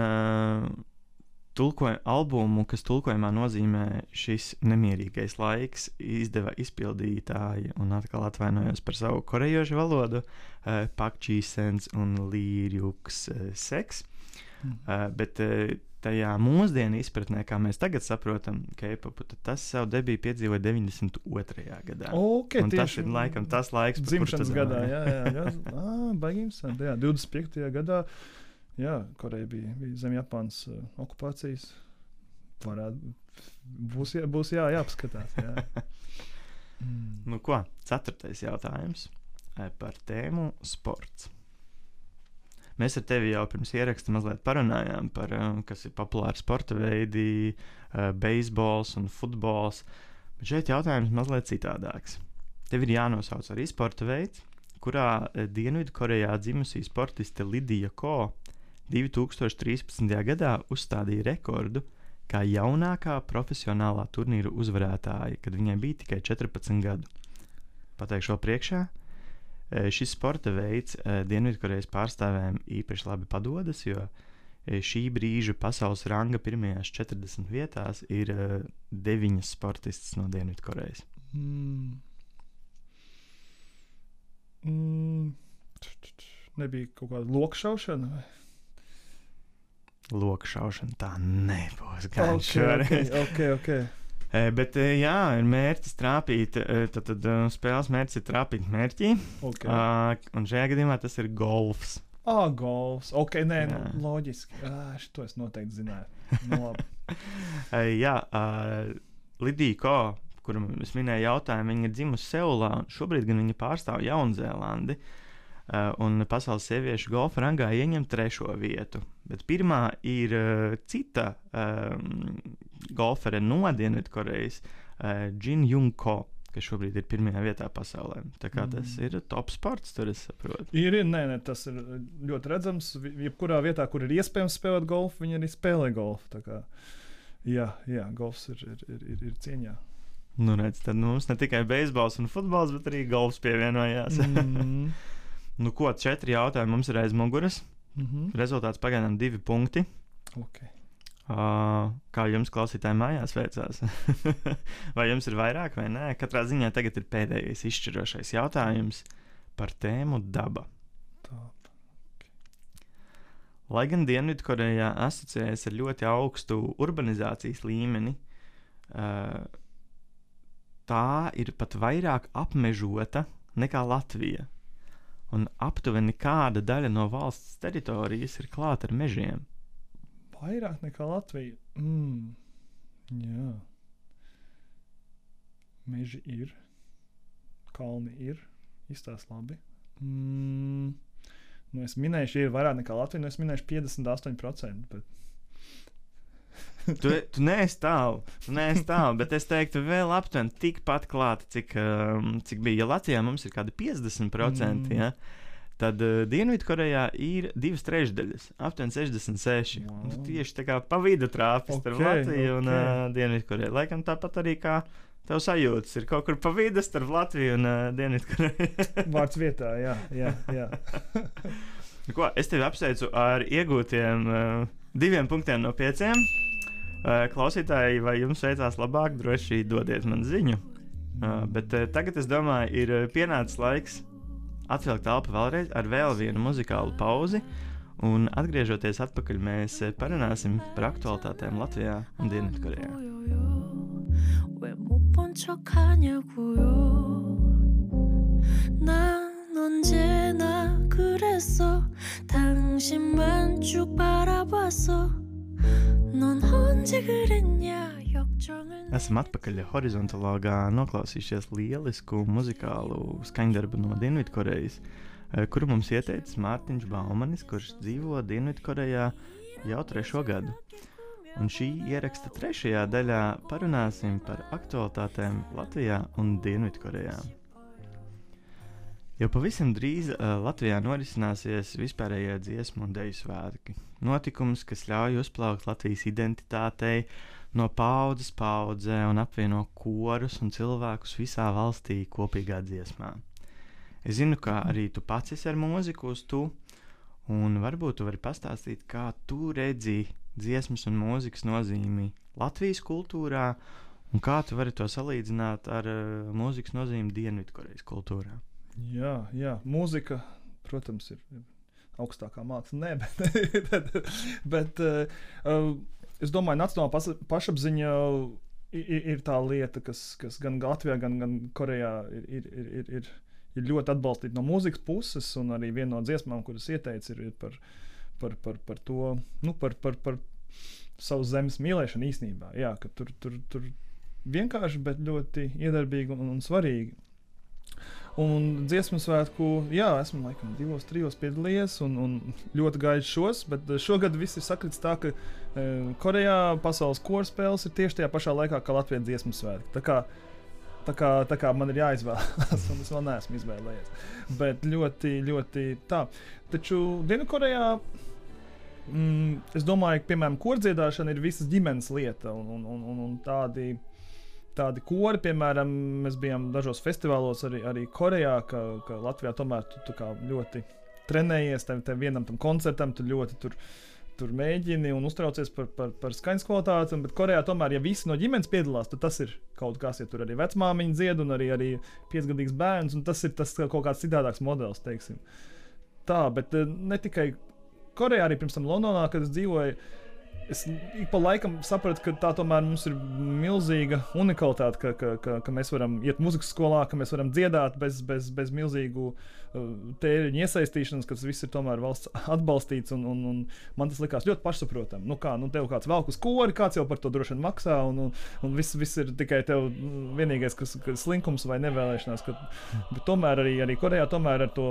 albumu, kas tulkojumā nozīmē šis nemierīgais laiks, izdeva izpildītāji, un atkal atvainojos par savu korejošu valodu, Pak Ji-sens un Lee Ryuk-seks. Bet tajā mūsdienu izpratnē, kā mēs tagad saprotam K-popu, tad tas savu debiju piedzīvoja 92. gadā. Okay, un tas ir laikam tas laiks, dzimšanas gadā, jā. Baigījums, jā, 25. gadā. Jā, Koreja bija zem Japānas okupācijas. Būs jāapskatās. Jā. Nu ko, 4. jautājums par tēmu sports. Mēs ar tevi jau pirms ieraksta mazliet parunājām par, kas ir populāri sporta veidi, beisbols un futbols, bet šeit jautājums mazliet citādāks. Tev ir jānosauc arī sporta veids, kurā Dienvidkorejā dzimusī sportiste Lidija Ko 2013. gadā uzstādīja rekordu kā jaunākā profesionālā turnīra uzvarētāja, kad viņai bija tikai 14 gadu. Pateikšu vēl priekšā, šis sporta veids Dienvidkorejas pārstāvēm īpaši labi padodas, jo šī brīža pasaules ranga pirmajās 40 vietās ir 9 sportistas no Dienvidkorejas. Nebija kaut kāda lokšaušana? Lokšaušana tā nebūs gan šoreiz. Okay. Bet jā, ir mērķis trāpīt, tad spēles mērķis ir trāpīt mērķī, un šajā gadījumā tas ir golfs. Golfs, loģiski. Šito es noteikti zināju. Jā, Lidija Ko, kuru es minēju jautājumu, viņa ir dzimusi Seulā, un šobrīd gan viņa pārstāv Jaunzēlandi, un pasaules sieviešu golfa rangā ieņem 3. vietu. Bet pirmā ir cita golfere no Dienvidkorejas, Jin Jung Ko, kas šobrīd ir 1. vietā pasaulē. Tā kā tas ir top sports, tur es saprotu. Nē, tas ir ļoti redzams. Jebkurā vietā, kur ir iespējams spēlēt golfu, viņi arī spēlē golfu. Tā kā, jā, golfs ir cieņā. Nu redz, tad mums ne tikai beisbols un futbols, bet arī golfs pievienojās. Nu ko, 4 jautājumi mums ir aiz muguras. Rezultāts pagaidām 2 punkti. Okay. Kā jums klausītāji mājās veicās? Vai jums ir vairāk vai nē? Katrā ziņā tagad ir pēdējais izšķirošais jautājums par tēmu daba. Okay. Lai gan Dienvidkorejā asociējas ar ļoti augstu urbanizācijas līmeni, tā ir pat vairāk apmežota nekā Latvija. Un aptuveni kāda daļa no valsts teritorijas ir klāta ar mežiem? Vairāk nekā Latvija? Jā. Meži ir. Kalni ir. Izstās labi. Es minēšu, ir vairāk nekā Latvija, es minēšu 58%, bet... Tu neesi tālu, bet es teiktu vēl aptuveni tikpat klāta, cik bija. Ja Latvijā mums ir kādi 50%, ja, tad Dienvidkorejā ir 2/3, aptuveni 66. Wow. Tieši tā kā pa vidu trāpis starp Latviju un Dienvidkoreju. Laikam tāpat arī kā tev sajūtas ir kaut kur pa vidu starp Latviju un Dienvidkoreju. Vārds vietā, jā. Ko, es tevi apsveicu ar iegūtiem 2 punktiem no 5. Klausītāji, vai jums veicās labāk, droši dodiet man ziņu. Bet tagad, es domāju, ir pienācis laiks atvilkt elpu vēlreiz ar vēl vienu muzikālu pauzi, un atgriežoties atpakaļ, mēs parunāsim par aktualitātēm Latvijā un Dienvidkorejā. Esam atpakaļ horizontālā, noklausījušies lielisku muzikālu skaņdarbu no Dienvidkorejas, kuru mums ieteicis Mārtiņš Baumanis, kurš dzīvo Dienvidkorejā jau 3. gadu. Un šī ieraksta 3. daļā parunāsim par aktualitātēm Latvijā un Dienvidkorejā. Jau pavisam drīz Latvijā norisināsies vispārējie dziesmu un deju svētki. Notikums, kas ļauj uzplaukt Latvijas identitātei no paudzes paudzē un apvieno korus un cilvēkus visā valstī kopīgā dziesmā. Es zinu, ka arī tu pats esi ar mūziku uz tu, un varbūt tu vari pastāstīt, kā tu redzi dziesmas un mūzikas nozīmi Latvijas kultūrā, un kā tu vari to salīdzināt ar mūzikas nozīmi Dienvidkorejas kultūrā. Jā, mūzika, protams, ir augstākā māksla, bet es domāju, nacionālā pašapziņa ir tā lieta, kas gan Latvijā, gan Korejā ir ļoti atbalstīta no mūzikas puses, un arī viena no dziesmām, kuras ieteica, ir par to, par savu zemes mīlēšanu īstenībā. Jā, ka tur vienkārši, bet ļoti iedarbīgi un svarīgi. Un dziesmu svētku, jā, esmu laikam 2-3 piedalījies un ļoti gaidu šos, bet šogad viss ir sakrits tā, ka Korejā pasaules koru spēles ir tieši tajā pašā laikā, kā Latvijas dziesmu svētki. Tā kā man ir jāizvēlas, un es vēl neesmu izvēlējies. Bet ļoti, ļoti tā. Taču Dienvidkorejā, es domāju, ka, piemēram, kordziedāšana ir visas ģimenes lieta, un tādi kori, piemēram, mēs bijām dažos festivālos arī Korejā, ka Latvijā tomēr tu kā ļoti trenējies tam vienam tam koncertam, tu ļoti tur mēģini un uztraucies par skaņas kvalitāti, bet Korejā tomēr, ja visi no ģimenes piedalās, tad tas ir kaut kas, ja tur arī vecmāmiņa dzied un arī 5-gadīgs bērns, un tas ir tas kaut kāds citādāks modelis, teiksim. Tā, bet ne tikai Korejā, arī pirms tam Londonā, kad es dzīvoju, es ik pa laikam sapratu, ka tā tomēr mums ir milzīga unikalitāte, ka mēs varam iet muzikas skolā, ka mēs varam dziedāt bez milzīgu tēriņu iesaistīšanas, ka tas viss ir tomēr valsts atbalstīts, un man tas likās ļoti pašsaprotam. Tev kāds velk uz kori, kāds jau par to droši vien maksā, un viss ir tikai tev vienīgais, kas slinkums vai nevēlēšanās. Bet tomēr arī Korejā tomēr ar to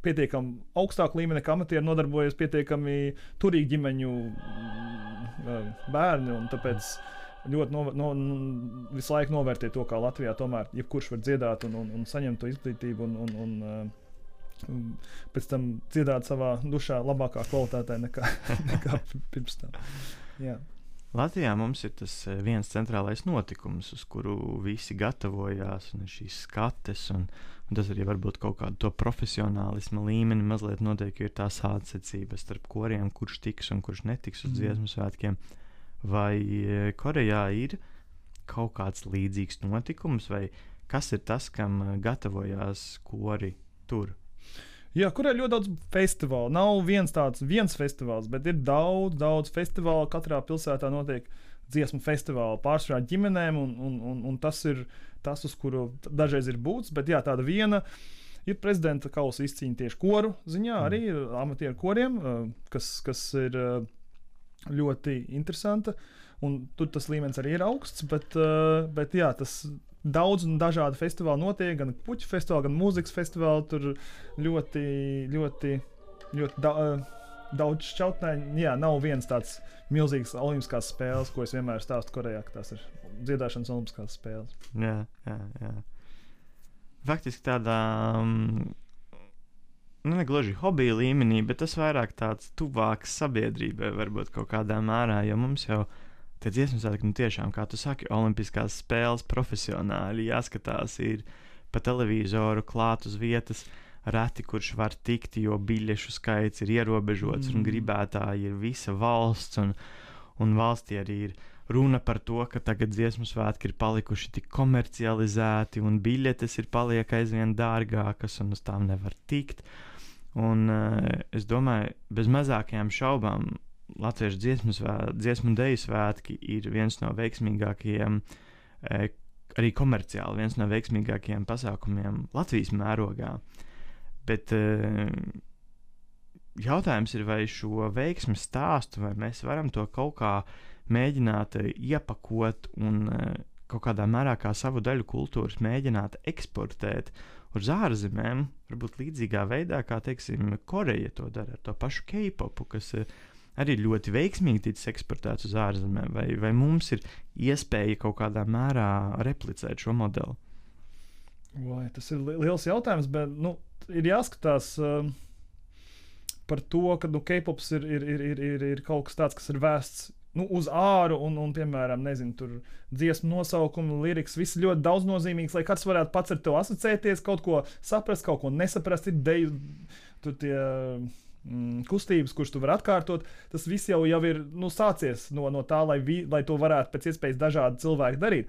pietiekami augstāku līmeni, kā amatieri nodarbojas pietiekami turīgi ģimeņu bērni, un tāpēc ļoti visu laiku novērtē to, kā Latvijā tomēr jebkurš var dziedāt un saņemt to izglītību un pēc tam dziedāt savā dušā labākā kvalitātē nekā pirms tam. Jā. Latvijā mums ir tas viens centrālais notikums, uz kuru visi gatavojās, un ir šīs skates, un tas arī varbūt kaut kādu to profesionālisma līmeni mazliet notiek, jo ir tā sādsecība starp koriem, kurš tiks un kurš netiks uz dziesmu svētkiem. Vai Korejā ir kaut kāds līdzīgs notikums, vai kas ir tas, kam gatavojās kori tur? Jā, kur ir ļoti daudz festivālu. Nav viens festivāls, bet ir daudz festivālu. Katrā pilsētā notiek dziesmu festivāli pārsvarā ģimenēm, un tas ir tas, uz kuru dažreiz ir būts. Bet jā, tāda viena ir prezidenta kausa izcīņa tieši koru ziņā, arī amatieru koriem, kas ir ļoti interesanta. Un tur tas līmenis arī ir augsts, bet jā, tas daudz un dažādi festivāli notiek, gan puķu festivāli, gan mūzikas festivāli. Tur ļoti daudz šķautnēņu. Jā, nav viens tāds milzīgs olimpiskās spēles, ko es vienmēr stāstu Korejā, ka tās ir dziedāšanas olimpiskās spēles. Jā. Faktiski tādā, negluži hobija līmenī, bet tas vairāk tāds tuvāks sabiedrībai varbūt kaut kādā mērā, jo mums jau tie dziesmu svētki, tiešām, kā tu saki, olimpiskās spēles profesionāli jāskatās, ir pa televizoru klāt uz vietas, reti kurš var tikt, jo biļešu skaits ir ierobežots un gribētāji ir visa valsts, un valstī arī ir runa par to, ka tagad dziesmu svētki ir palikuši tik komercializēti un biļetes ir paliek aizvien dārgākas un uz tām nevar tikt. Un es domāju, bez mazākajām šaubām Latviešu dziesmu un deju svētki ir viens no veiksmīgākajiem, arī komerciāli viens no veiksmīgākajiem pasākumiem Latvijas mērogā. Bet jautājums ir, vai šo veiksmi stāstu, vai mēs varam to kaut kā mēģināt iepakot un kaut kādā mērā kā savu daļu kultūras mēģināt eksportēt uz ārzemēm, varbūt līdzīgā veidā, kā, teiksim, Koreja to dara ar to pašu K-popu, kas arī ļoti veiksmīgi ticis eksportēts uz ārzemēm, vai mums ir iespēja kaut kādā mērā replicēt šo modeli? Vai, tas ir liels jautājums, bet ir jāskatās par to, ka K-pops ir kaut kas tāds, kas ir vēsts uz āru un piemēram, nezinu, tur dziesmu nosaukumu, lirikas, viss ļoti daudznozīmīgs, lai kāds varētu pats ar to asociēties, kaut ko saprast, kaut ko nesaprast, ir deju, tur tie kustības, kuras tu vari atkārtot, tas viss jau ir sācies no tā, lai to varētu pēc iespējas dažādi cilvēki darīt.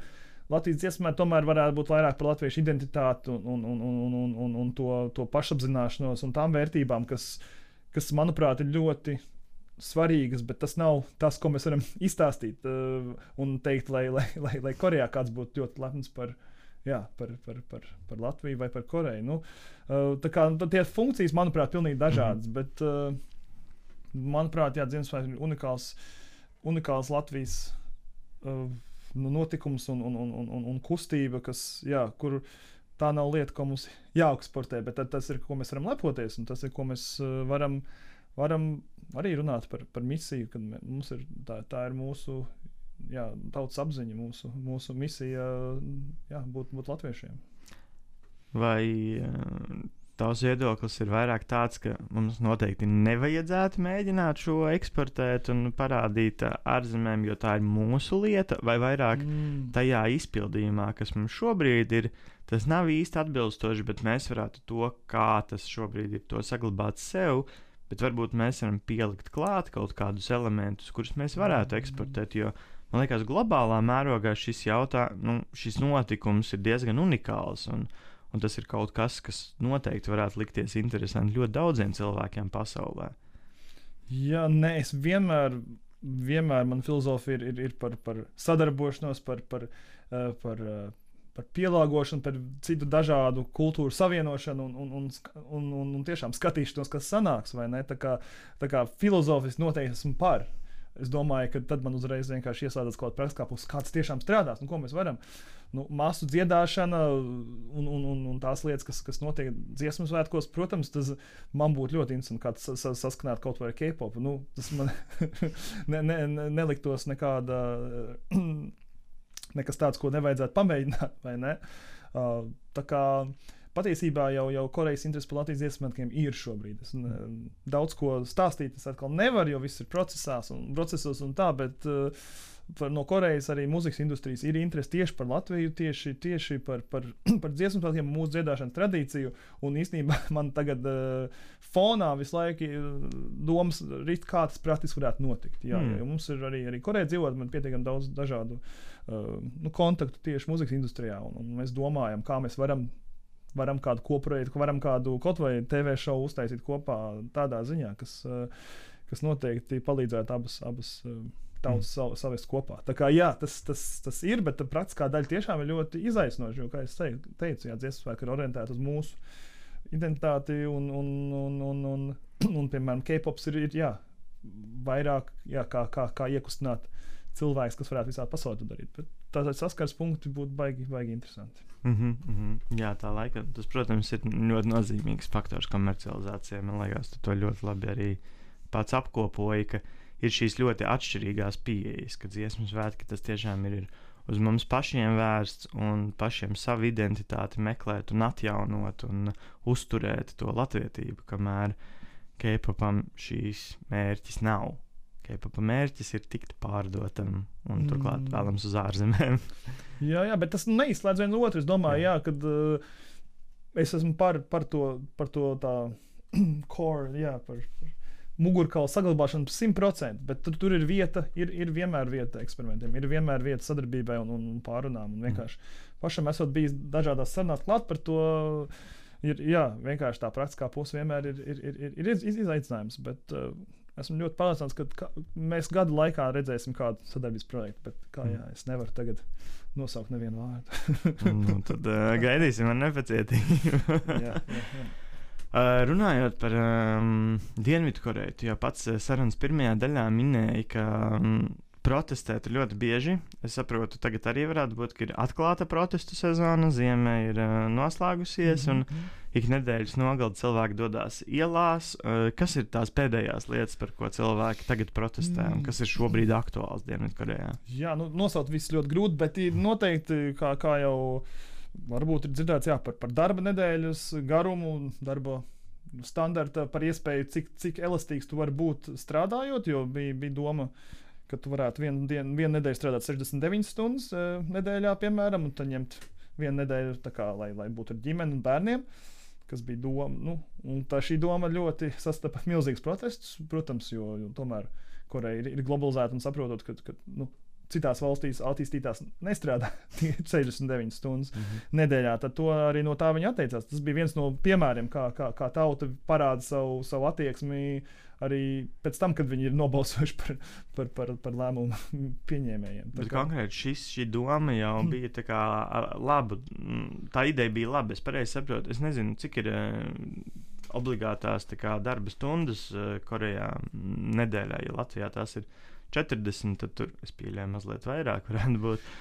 Latvijas dziesmā tomēr varētu būt vairāk par latviešu identitāti un to pašapzināšanos un tām vērtībām, kas manuprāt, ir ļoti svarīgas, bet tas nav tas, ko mēs varam izstāstīt un teikt, lai Korejā kāds būtu ļoti lepns par Latviju vai par Koreju. Tā kā tie funkcijas, manuprāt, pilnīgi dažādas, bet manuprāt, Ziemassvētki ir unikāls Latvijas notikums un kustība, kur tā nav lieta, ko mums jāeksportē, bet tas ir, ko mēs varam lepoties, un tas ir, ko mēs varam arī runāt par misiju, kad mums ir, tā ir mūsu tautas apziņa, mūsu misija būt latviešiem. Vai tavs viedoklis ir vairāk tāds, ka mums noteikti nevajadzētu mēģināt šo eksportēt un parādīt ārzemēm, jo tā ir mūsu lieta, vai vairāk tajā izpildījumā, kas mums šobrīd ir, tas nav īsti atbilstoši, bet mēs varētu to, kā tas šobrīd ir, to saglabāt sev, bet varbūt mēs varam pielikt klāt kaut kādus elementus, kurus mēs varētu eksportēt, jo man liekas, globālā mērogā šis notikums ir diezgan unikāls, un tas ir kaut kas noteikti varētu likties interesanti ļoti daudziem cilvēkiem pasaulē. Jā, es vienmēr man filozofija ir par sadarbošanos, par pielāgošanu, par citu dažādu kultūru savienošanu un tiešām skatīšanos, kas sanāks, vai ne? Tā kā filozofiski noteikti esmu par. Es domāju, ka tad man uzreiz vienkārši ieslēdzas kaut kāda praksa, kāds tiešām strādās, ko mēs varam. Masu dziedāšana un tās lietas, kas notiek dziesmu svētkos, protams, tas man būtu ļoti interesanti, kā tas saskanāt kaut vai ar K-pop. Tas man neliktos nekas tāds, ko nevajadzētu pamēģināt, vai ne? Tā kā patiesībā jau Korejas interesi par Latvijas dziesmu svētkiem ir šobrīd. Es daudz ko stāstīt, es atkal nevaru, jo viss ir procesos un tā, bet no Korejas arī mūzikas industrijas ir interesi tieši par Latviju, tieši par dziesmu svētkiem, mūsu dziedāšanas tradīciju, un īstenībā man tagad fonā visu laiku domas rit, kā tas praktiski varētu notikt. Jo mums ir arī Koreja dzīvot, man pietiekami daudz dažādu kontaktu tieši mūzikas industrijā, un mēs domājam, kā mēs varam kādu koprojektu, varam kādu kaut vai TV šovu uztaisīt kopā tādā ziņā, kas noteikti palīdzētu abas tautas savest kopā. Tā kā tas ir, bet tā praktiskā daļa tiešām ir ļoti izaicinoša, jo, kā es teicu, dziesmu svētki ir orientēti uz mūsu identitāti un piemēram, K-pops ir vairāk, kā iekustināt cilvēks, kas varētu visā pasaulē to darīt. Bet tātad saskars punkti būtu baigi interesanti. Jā, tā laika, tas, protams, ir ļoti nozīmīgs faktors komercializācijai. Man liekas, tu to ļoti labi arī pats apkopoji, ka ir šīs ļoti atšķirīgās pieejas, ka dziesmu svētki tas tiešām ir uz mums pašiem vērsts un pašiem savu identitāti meklēt un atjaunot un uzturēt to latvietību, kamēr K-popam šīs mērķis nav. K-popa mērķis ir tikt pārdotam un turklāt vēlams uz ārzemēm. Jā, bet tas neizslēdz vienu otru. Es domāju, kad es esmu par to tā core, par mugurkaula saglabāšanu 100%, bet tur ir vieta, ir vienmēr vieta eksperimentiem, ir vienmēr vieta sadarbībai un pārunām, un vienkārši pašam esot bijis dažādās sarunās klāt par to, vienkārši tā praktiskā puse vienmēr ir izaicinājums, bet esmu ļoti pārliecināts, ka mēs gadu laikā redzēsim kādu sadarbības projektu, bet es nevaru tagad nosaukt nevienu vārdu. Tad gaidīsim ar nepacietību. Jā. Runājot par Dienvidkoreju, tu jau pats sarunas pirmajā daļā minēji, ka protestēt ļoti bieži. Es saprotu, tagad arī varētu būt, ka ir atklāta protestu sezona, ziema ir noslēgusies, un ik nedēļas nogaldi cilvēki dodās ielās. Kas ir tās pēdējās lietas, par ko cilvēki tagad protestē, un kas ir šobrīd aktuāls Dienvidkorejā? Jā, nosaukt viss ļoti grūti, bet noteikti, kā jau varbūt ir dzirdēts, par darba nedēļas garumu, darba standarta, par iespēju, cik elastīgs tu vari būt strādājot, jo bija doma, ka tu varētu vienu nedēļu strādāt 69 stundas nedēļā, piemēram, un tad ņemt vienu nedēļu, lai būtu ar ģimeni un bērniem, kas bija doma. Un šī doma ļoti sastapa milzīgus protestus, protams, jo tomēr Koreja ir globalizēta un saprotot, ka citās valstīs attīstītās nestrādā 69 stundas nedēļā, tad to arī no tā viņi atteicās. Tas bija viens no piemēriem, kā tauta parāda savu attieksmi arī pēc tam, kad viņi ir nobalsojuši par lēmumu pieņēmējiem. Bet konkrēti šī doma jau bija tā kā laba, tā ideja bija laba, es pareizi saprotu, es nezinu, cik ir obligātās darba stundas Korejā nedēļā, ja Latvijā tās ir 40, tad tur es pieļauju mazliet vairāk varētu būt.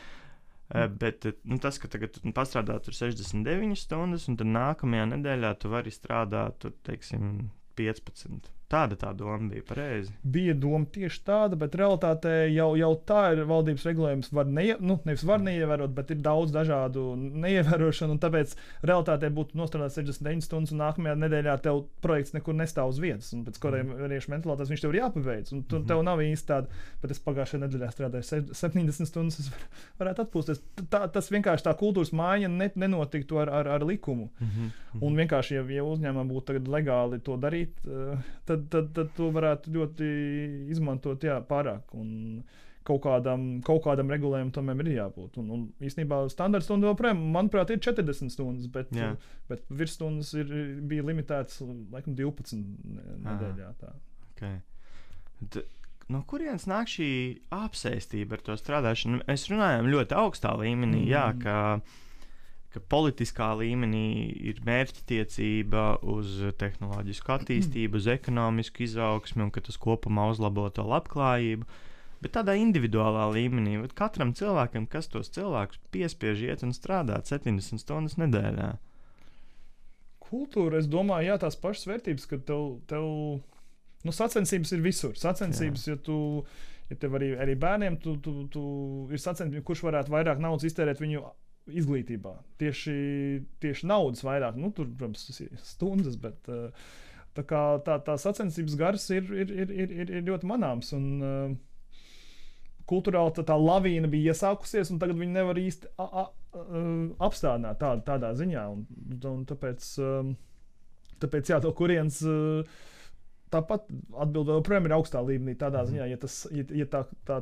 Bet tas, ka tagad tu pastrādā tur 69 stundas, un tad nākamajā nedēļā tu vari strādāt tur, teiksim, 15. Tāda tā doma bija pareizi. Bija doma tieši tāda, bet realitātē jau tā ir valdības regulējums. Nevis var neievērot, bet ir daudz dažādu neievērošanu. Tāpēc realitātē būtu nostrādāt 69 stundas, un nākamajā nedēļā tev projekts nekur nestāv uz vietas. Pēc korejiešu mentalitātes viņš tev ir jāpabeidz. Tev nav īsti tāda, bet es pagājušajā nedēļā strādāju 70 stundas. Es varētu atpūsties. Tas vienkārši tā kultūras maiņa nenotiktu ar likumu. Un vienkārši, ja uzņēmumam būtu tagad legāli to darīt, tad to varētu ļoti izmantot pārāk. Un kaut kādam regulējumam tomēr ir jābūt. Un īstenībā standarta stunda joprojām, manuprāt, ir 40 stundas, bet virsstundas bija limitētas laikam 12 nedēļā. Okay. No kurienes nāk šī apsēstība ar to strādāšanu? Mēs runājam ļoti augstā līmenī, ka politiskā līmenī ir mērķtiecība uz tehnoloģisku attīstību, uz ekonomisku izaugsmi un ka tas kopumā uzlabo to labklājību. Bet tādā individuālā līmenī, katram cilvēkam, kas tos cilvēkus piespiež iet un strādāt 70 stundas nedēļā? Kultūra, es domāju, tās pašas vērtības, ka tev sacensības ir visur. Sacensības, ja tev arī bērniem tu ir sacensības, kurš varētu vairāk naudas iztērēt viņu izglītībā. Tieši naudas vairāk, tur, protams, tas ir stundas, bet tā sacensības gars ir ļoti manāms. Un kultūrāli tā lavīna bija iesākusies, un tagad viņi nevar īsti apstādināt tādā ziņā. Un tāpēc kurienes tāpat atbilde joprojām ir augstā līmenī tādā ziņā, ja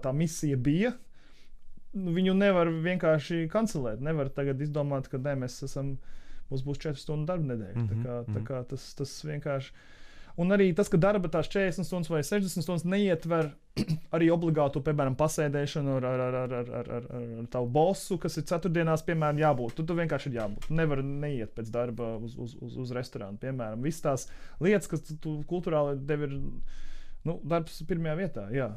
tā misija bija, viņu nevar vienkārši kancelēt. Nevar tagad izdomāt, ka mums būs 4 stundu darba nedēļa. Tā kā tas vienkārši. Un arī tas, ka darba tās 40 stundas vai 60 stundas neietver arī obligātu, piemēram, pasēdēšanu ar tavu bosu, kas ir ceturtdienās, piemēram, jābūt. Tu vienkārši ir jābūt. Nevar neiet pēc darba uz restorānu, piemēram. Visas tās lietas, kas tu kultūrāli tev ir, darbs pirmajā vietā, jā.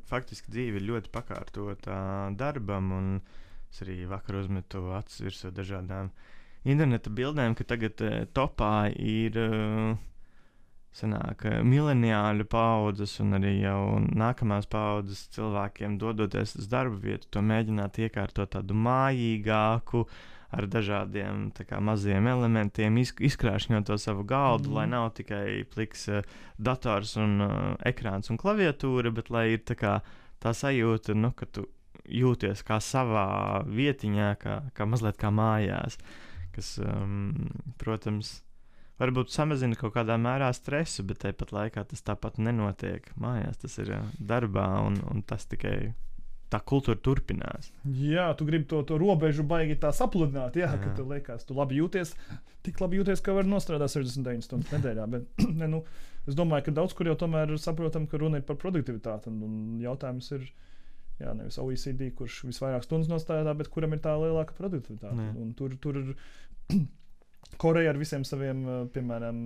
Faktiski dzīve ir ļoti pakārtota darbam, un es arī vakar uzmetu acis virsū dažādām interneta bildēm, ka tagad topā ir mileniāļu paudzes un arī jau nākamās paudzes cilvēkiem dodoties uz darba vietu, to mēģināt iekārtot tādu mājīgāku, ar dažādiem maziem elementiem, izkrāšņot to savu galdu, lai nav tikai pliks dators un ekrāns un klaviatūra, bet lai ir tā sajūta, ka tu jūties kā savā vietiņā, kā mazliet kā mājās, kas, protams, varbūt samazina kaut kādā mērā stresu, bet tāpat laikā tas tāpat nenotiek mājās, tas ir darbā, un tas tikai tā kultūra turpinās. Jā, tu gribi to robežu baigi tā sapludināt, ka tu liekas, tu labi jūties, tik labi jūties, ka var nostrādāt 69 stundas nedēļā, bet es domāju, ka daudz kur jau tomēr saprotam, ka runa ir par produktivitāti, un jautājums ir, nevis OECD, kurš visvairāk stundas nostrādā, bet kuram ir tā lielāka produktivitāte. Un tur Koreja ar visiem saviem, piemēram,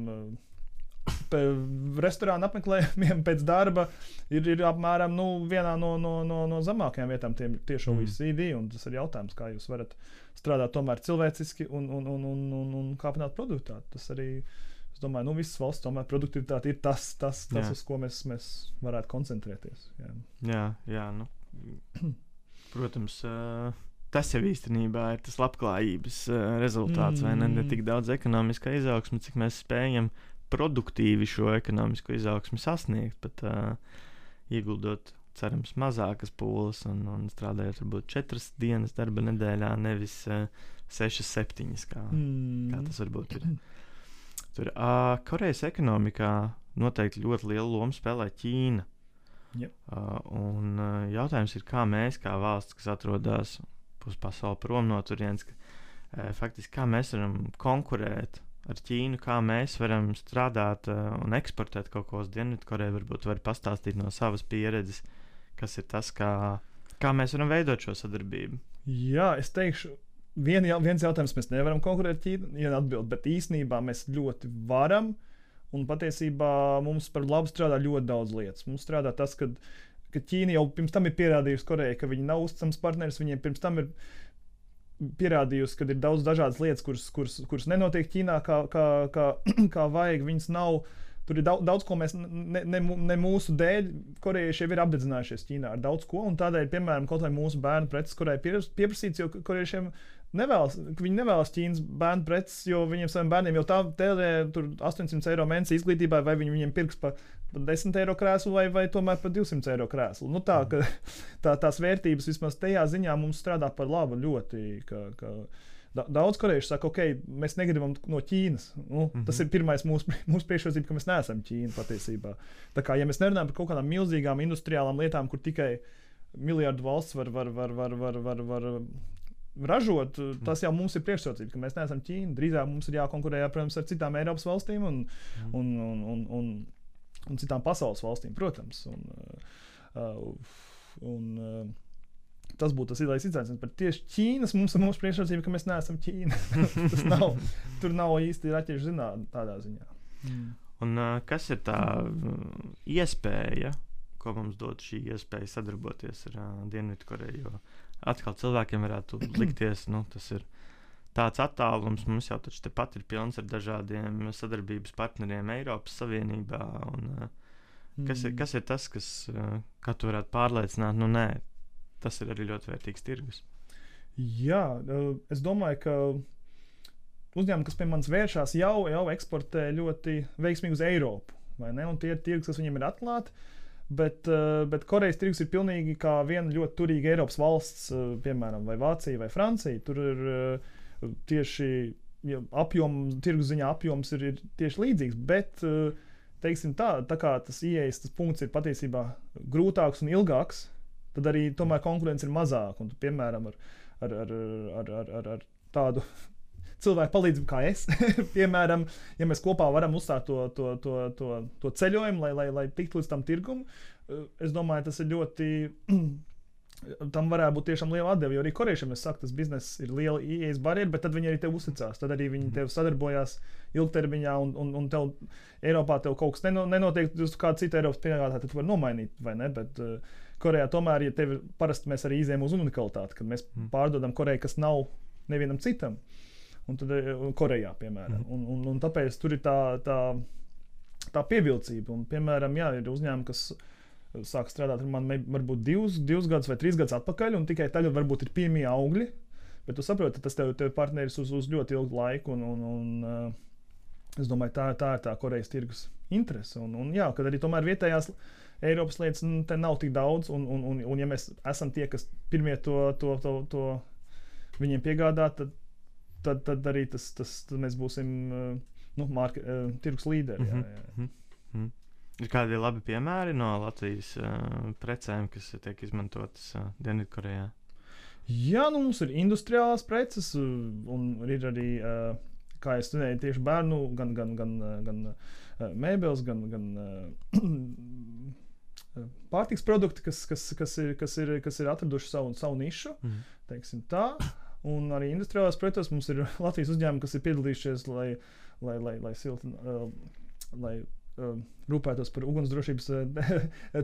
restorānu apmeklējumiem pēc darba ir apmēram vienā no zemākajām vietām tieši OECD, un tas ir jautājums, kā jūs varat strādāt tomēr cilvēciski un kāpināt produktivitāti. Tas arī, es domāju, visas valsts tomēr produktivitāte ir tas uz ko mēs varētu koncentrēties. Jā, protams, tas jau īstenībā ir tas labklājības rezultāts, vai ne tik daudz ekonomiskā izaugsme, cik mēs spējam produktīvi šo ekonomisko izaugsmi sasniegt, bet ieguldot, cerams, mazākas pūles un strādājot varbūt 4 dienas darba nedēļā, nevis 6-7, kā tas varbūt ir. Tur Korejas ekonomikā noteikti ļoti lielu lomu spēlē Ķīna. Un jautājums ir, kā mēs, kā valsts, kas atrodas uz pasauli prom no turienes, faktiski kā mēs varam konkurēt ar Ķīnu, kā mēs varam strādāt un eksportēt kaut ko uz Dienvidkoreju, varbūt var pastāstīt no savas pieredzes, kas ir tas, kā mēs varam veidot šo sadarbību. Jā, es teikšu, viens jautājums, mēs nevaram konkurēt Ķīnu, atbild, bet īstenībā mēs ļoti varam, un patiesībā mums par labu strādā ļoti daudz lietas. Mums strādā tas, ka Ķīna jau pirms tam ir pierādījusi Korejai, ka viņi nav uzticams partneris, viņiem pirms tam ir pierādījusi, ka ir daudz dažādas lietas, kuras nenotiek Ķīnā kā vajag, viņas nav. Tur ir daudz ko mēs ne mūsu dēļ, korejieši jau ir apdedzinājušies Ķīnā ar daudz ko, un tādēļ, piemēram, kaut vai mūsu bērnu preces, kurai pieprasīts, jo korejiešiem viņi nevēlas Ķīnas bērnu preces, jo viņiem saviem bērniem jau tā tērē tur 800 eiro mēnesī izglītībai, vai viņiem pirks pa 10 eiro krēslu vai tomēr pa 200 eiro krēslu. Nu tā, ka tās vērtības vismaz tajā ziņā mums strādā par labu ļoti, ka daudz korejieši saka, ok, mēs negribam no Ķīnas. Tas ir pirmais mūsu priekšrocība, ka mēs neesam Ķīna patiesībā. Tā kā, ja mēs nerunājam par kaut kādām milzīgām industriālām lietām, kur tikai miljardu valsts var ražot, tas jau mums ir priekšrocība, ka mēs neesam Ķīna. Drīzāk mums ir jākonkurē, protams, ar citām Eiropas valstīm un citām pasaules valstīm, protams. Tas būtu tas ilais izaicinājums, bet tieši Ķīnas mums ir mūsu priekšrocība, ka mēs neesam Ķīna. Tur nav īsti raķešu zinātne tādā ziņā. Un kas ir tā iespēja, ko mums dod šī iespēja sadarboties ar Dienvidkoreju? Jo atkal cilvēkiem varētu likties, tas ir tāds attālums, mums jau taču tepat ir pilns ar dažādiem sadarbības partneriem Eiropas Savienībā. Kas ir tas, kā tu varētu pārliecināt? Nē. Tas ir arī ļoti vērtīgs tirgus. Jā, es domāju, ka uzņēmumi, kas pie manis vēršās, jau eksportē ļoti veiksmīgi uz Eiropu. Vai ne? Un tie ir tirgus, kas viņiem ir atklāti. Bet Korejas tirgus ir pilnīgi kā viena ļoti turīga Eiropas valsts, piemēram, vai Vācija vai Francija. Tur ir tieši tirgus ziņā apjoms ir tieši līdzīgs. Bet, teiksim tā kā tas ieejas, tas punkts ir patiesībā grūtāks un ilgāks, tad arī tomēr konkurence ir mazāka. Un, piemēram, ar tādu cilvēku palīdzību kā es, piemēram, ja mēs kopā varam uzsākt to ceļojumu, lai tiktu līdz tam tirgum, es domāju, tas ir ļoti, tam varētu būt tiešām liela atdeve, jo arī korejiešiem, es saku, tas bizness ir liela ieejas barjera, bet tad viņi arī tev uzticās, tad arī viņi tev sadarbojās ilgtermiņā, un tev Eiropā tev kaut kas nenotiek, uz kādu citu Eiropas piegādātāju, tad tu vari nomainīt, vai ne, bet Korejā tomēr, ja tevi parasti mēs arī izējam uz unikalitāti, kad mēs pārdodam Koreju, kas nav nevienam citam, un tad Korejā, piemēram. Un tāpēc tur ir tā pievilcība. Un, piemēram, jā, ir uzņēmumi, kas sāk strādāt ar mani varbūt 2 gadus vai 3 gadus atpakaļ, un tikai tagad varbūt ir pirmie augļi, bet tu saproti, tas tev partneris uz ļoti ilgu laiku, un es domāju, tā ir tā Korejas tirgus interese. Un jā, kad arī tomēr vietējās Eiropas lietas te nav tik daudz, un ja mēs esam tie, kas pirmie to viņiem piegādā, tad arī tad mēs būsim tirgus līderi. Ir kādi labi piemēri no Latvijas precēm, kas tiek izmantotas Dienvidkorejā? Jā, mums ir industriālās preces, un ir arī, kā es studēju, tieši bērnu, gan mēbeles, gan pārtiks produkti, kas ir atraduši savu nišu, teiksim tā. Un arī industriālās preces mums ir Latvijas uzņēmumi, kas ir piedalījušies, lai rūpētos par ugunsdrošības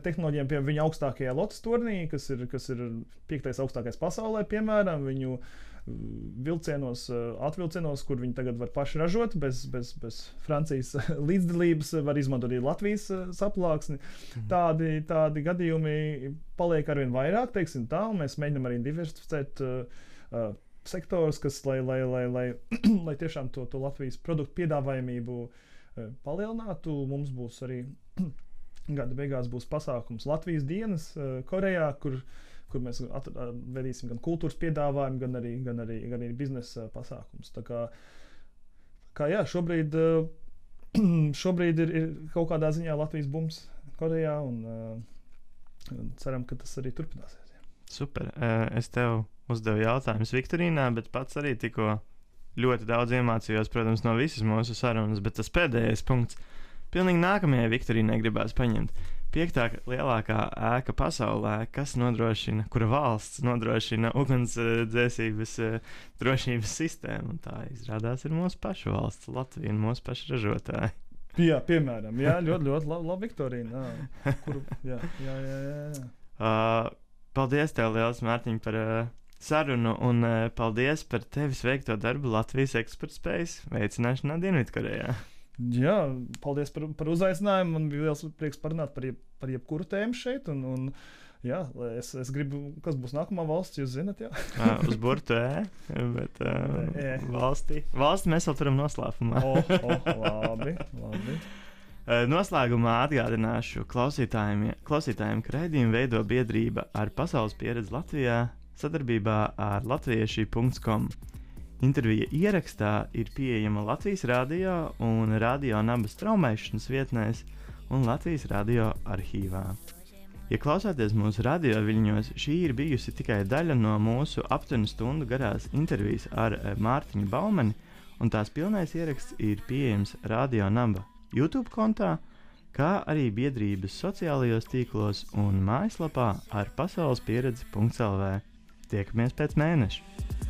tehnoloģijām pie viņa augstākajā lotes turnī, kas ir 5. augstākais pasaulē, piemēram, viņu atvilcienos, kur viņi tagad var paši ražot, bez Francijas līdzdalības, var izmantot arī Latvijas saplāksni. Tādi gadījumi paliek arvien vairāk, teiksim tā, un mēs mēģinām arī diversificēt sektors, kas, lai tiešām to Latvijas produktu piedāvājumību palielinātu. Mums būs arī gada beigās būs pasākums Latvijas dienas Korejā, kur mēs vedīsim gan kultūras piedāvājumu, gan arī biznesa pasākums. Tā kā jā, šobrīd ir kaut kādā ziņā Latvijas bums Korejā, un ceram, ka tas arī turpināsies. Super. Es tev uzdevu jautājumus Viktorīnā, bet pats arī tikko ļoti daudz iemācījos, protams, no visas mūsu sarunas, bet tas pēdējais punkts, pilnīgi nākamajai Viktorīnai gribās paņemt. 5. lielākā ēka pasaulē, kura valsts nodrošina ugunsdzēsības drošības sistēmu. Un tā izrādās ir mūsu pašu valsts, Latvija un mūsu pašu ražotāji. Jā, piemēram, ļoti labi Viktorīna. Jā. Paldies tev liels, Mārtiņ, par sarunu un paldies par tevis veikto darbu Latvijas eksportspējas veicināšanā Dienvidkorejā. Jā, paldies par uzaicinājumu. Man bija liels prieks parunāt par jebkuru tēmu šeit. Jā, es gribu, kas būs nākamā valsts, jūs zinat, jā. Uz burtu bet valsti mēs vēl turam noslēpumā. Labi. Noslēgumā atgādināšu klausītājiem, ka raidījumu veido biedrība ar pasaules pieredzi Latvijā sadarbībā ar latvieši.com. Intervija ierakstā ir pieejama Latvijas radio un Radio Nabas straumēšanas vietnēs un Latvijas radio arhīvā. Ja klausāties mūsu radio viļņos, šī ir bijusi tikai daļa no mūsu aptuveni stundu garās intervijas ar Mārtiņu Baumani, un tās pilnais ieraksts ir pieejams Radio Naba YouTube kontā, kā arī biedrības sociālajos tīklos un mājaslapā ar pasaulespieredzi.lv. Tiekamies pēc mēneša!